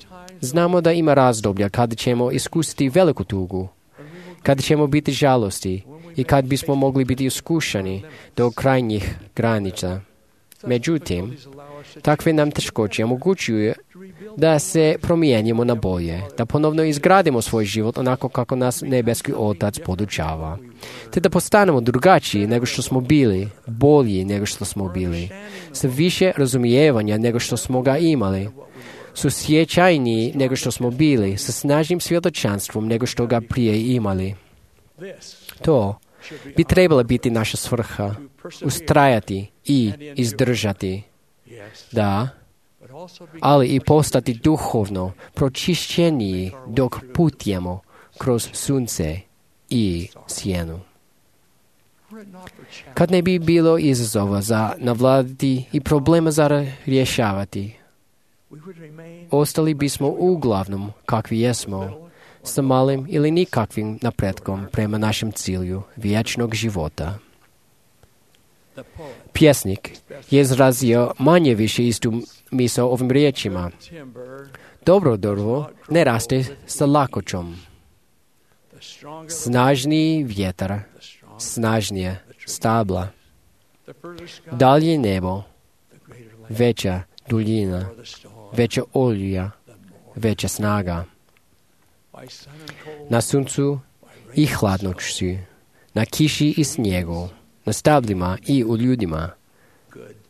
Znamo da ima razdoblja kada ćemo iskusiti veliku tugu, kada ćemo biti žalosti i kad bismo mogli biti iskušani do krajnjih granica. Međutim, takve nam teškoće omogućuju da se promijenimo na bolje, da ponovno izgradimo svoj život onako kako nas nebeski Otac podučava, te da postanemo drugačiji nego što smo bili, bolji nego što smo bili, sa više razumijevanja nego što smo ga imali, su sjećajniji nego što smo bili, sa snažnim svjedočanstvom nego što ga prije imali. To bi trebala biti naša svrha, ustrajati i izdržati. Da, ali i postati duhovno pročišćeniji dok putujemo kroz sunce i sjenu. Kad ne bi bilo izazova za navladati i problema za rješavati, ostali bismo uglavnom kakvi jesmo, sa malim ili nikakvim napretkom prema našem cilju vječnog života. Pjesnik je izrazio manje više istu misao ovim riječima. Dobro drvo ne raste sa lakoćom. Snažniji vjetar, snažnije stabla. Dalje nebo, veća duljina, veća olja, veća snaga. Na suncu i hladnoću, na kiši i snijegu, na stablima i u ljudima,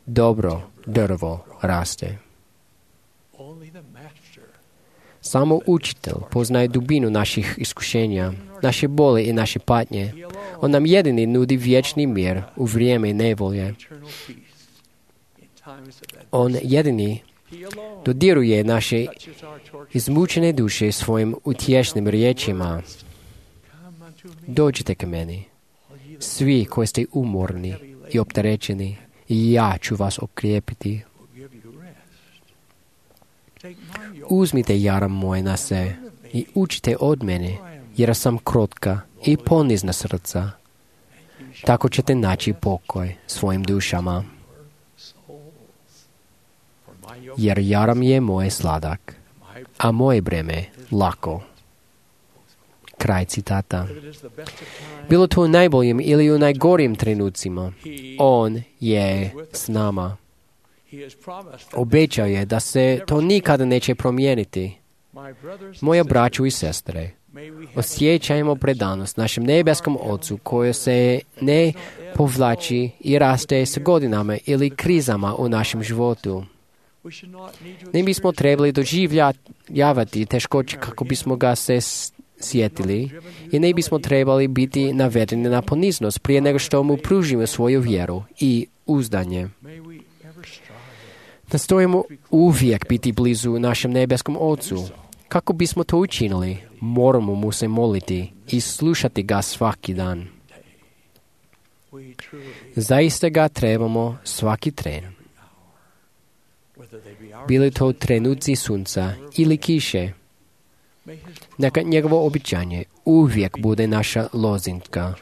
dobro drvo raste. Samo učitelj poznaje dubinu naših iskušenja, naše bole i naše patnje. On nam jedini nudi vječni mir u vrijeme nevolje. On jedini dodiruje naše izmučene duše svojim utješnim riječima. Dođite k meni, svi koji ste umorni i opterećeni, i ja ću vas okrijepiti. Uzmite jaram moj na se i učite od mene, jer sam krotka i ponizna srca. Tako ćete naći pokoj svojim dušama. Jer jaram je moj sladak, a moje breme lako. Kraj citata. Bilo to u najboljim ili u najgorijim trenucima, on je s nama. Obećao je da se to nikada neće promijeniti. Moja braćo i sestre, osjećajmo predanost našem nebeskom Ocu koji se ne povlači i raste s godinama ili krizama u našem životu. Ne bismo trebali doživljavati teškoće kako bismo ga se sjetili i ne bismo trebali biti navedeni na poniznost prije nego što mu pružimo svoju vjeru i uzdanje. Nastojimo uvijek biti blizu našem nebeskom Ocu. Kako bismo to učinili, moramo mu se moliti i slušati ga svaki dan. Zaista ga trebamo svaki tren. Bili to trenuci sunca ili kiše. Neka njegovo običanje uvijek bude naša lozinka.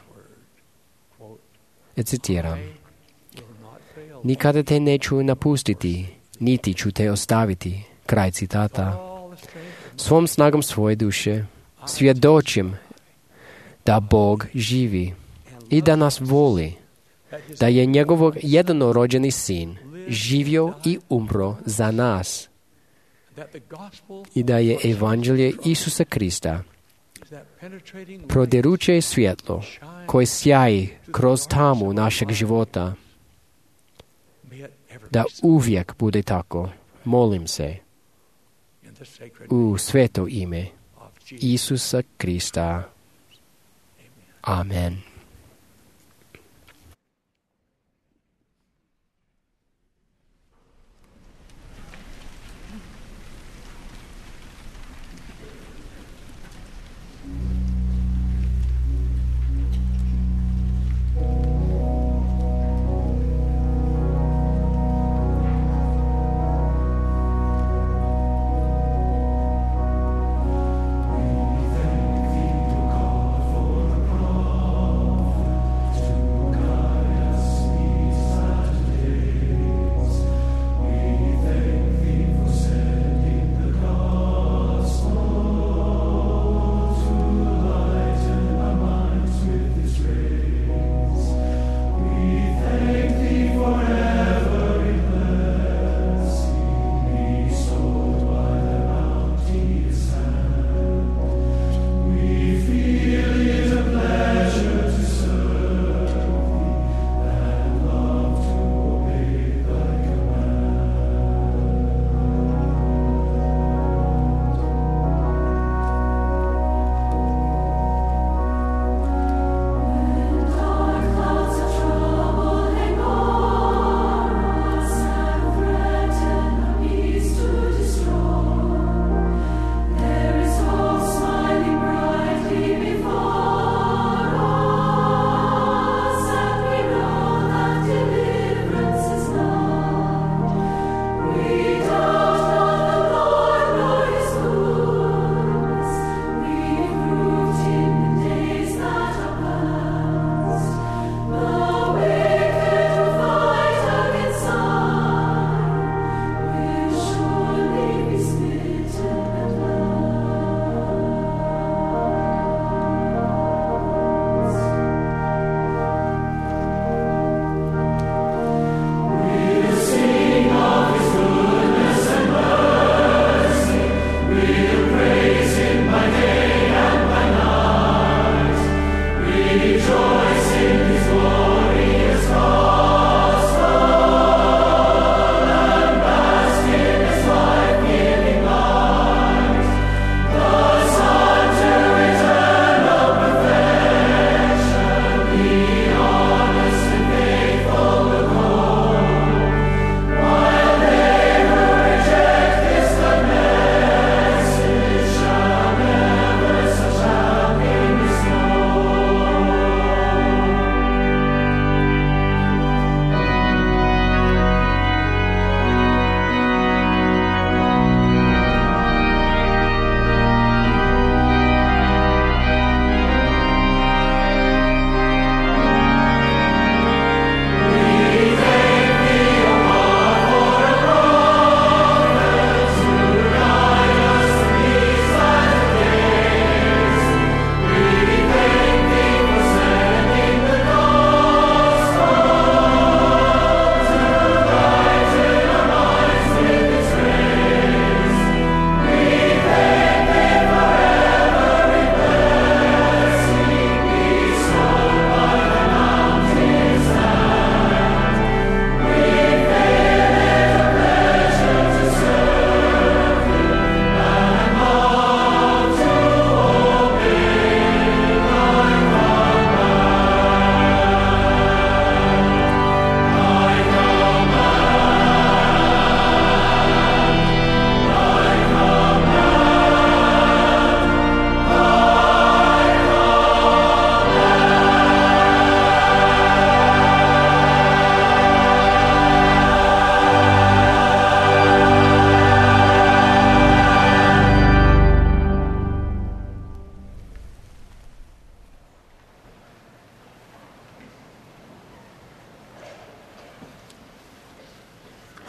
Citiram. Nikada te neću napustiti, niti ću te ostaviti. Kraj citata. Svom snagom svoje duše svjedočim da Bog živi i da nas voli, da je njegov jednorođeni sin živio i umro za nas i da je evanđelje Isusa Krista prodiruće svjetlo koje sjaji kroz tamu našeg života. Da uvijek bude tako. Molim se u sveto ime Isusa Krista. Amen. Thank you, God, for the promise.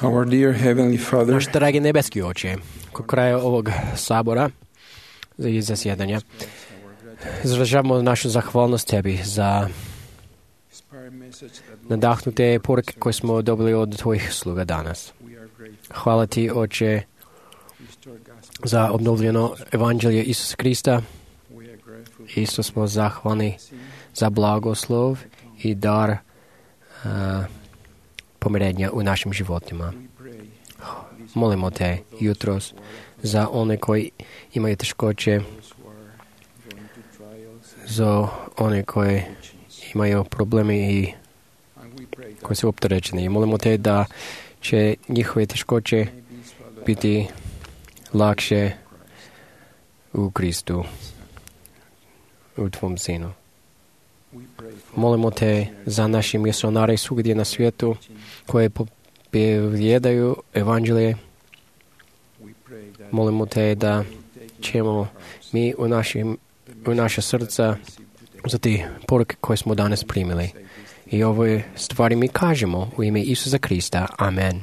Our dear Heavenly Father, Naš dragi nebeski Oče, kod kraja ovog sabora i zasjedanja izražavamo našu zahvalnost Tebi za nadahnute poruke koje smo dobili od Tvojih sluga danas. Hvala Ti, Oče, za obnovljeno evanđelje Isusa Krista. Isto smo zahvalni za blagoslov i dar uh, pomirenja u našim životima. Molimo Te jutros za one koji imaju teškoće, za one koji imaju problemi i koji su opterećeni. Molimo Te da će njihove teškoće biti lakše u Kristu, u Tvom Sinu. Molimo Te za naše misionare svugdje na svijetu koje povjedaju evanđelje. Molimo Te da ćemo mi u, našim, u naša srca za te poruke koje smo danas primili. I ove stvari mi kažemo u ime Isusa Krista. Amen.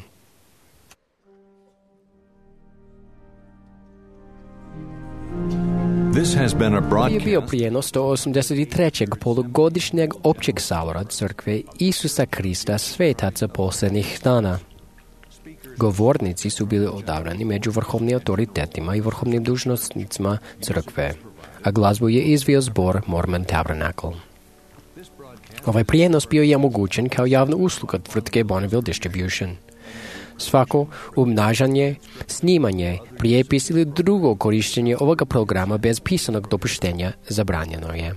This has been a Je bio broadcast. prijenos sto osamdeset trećeg polugodišnjeg općeg sabora Crkve Isusa Krista svetaca posljednjih dana. Govornici su bili odabrani među vrhovnim autoritetima i vrhovnim dužnosnicima Crkve, a glazbu je izvio zbor Mormon Tabernacle. Ovaj prijenos bio je omogućen kao javna usluga tvrtke Bonneville Distribution. Svako umnažanje, snimanje, prijepis ili drugo korištenje ovoga programa bez pisanog dopuštenja zabranjeno je.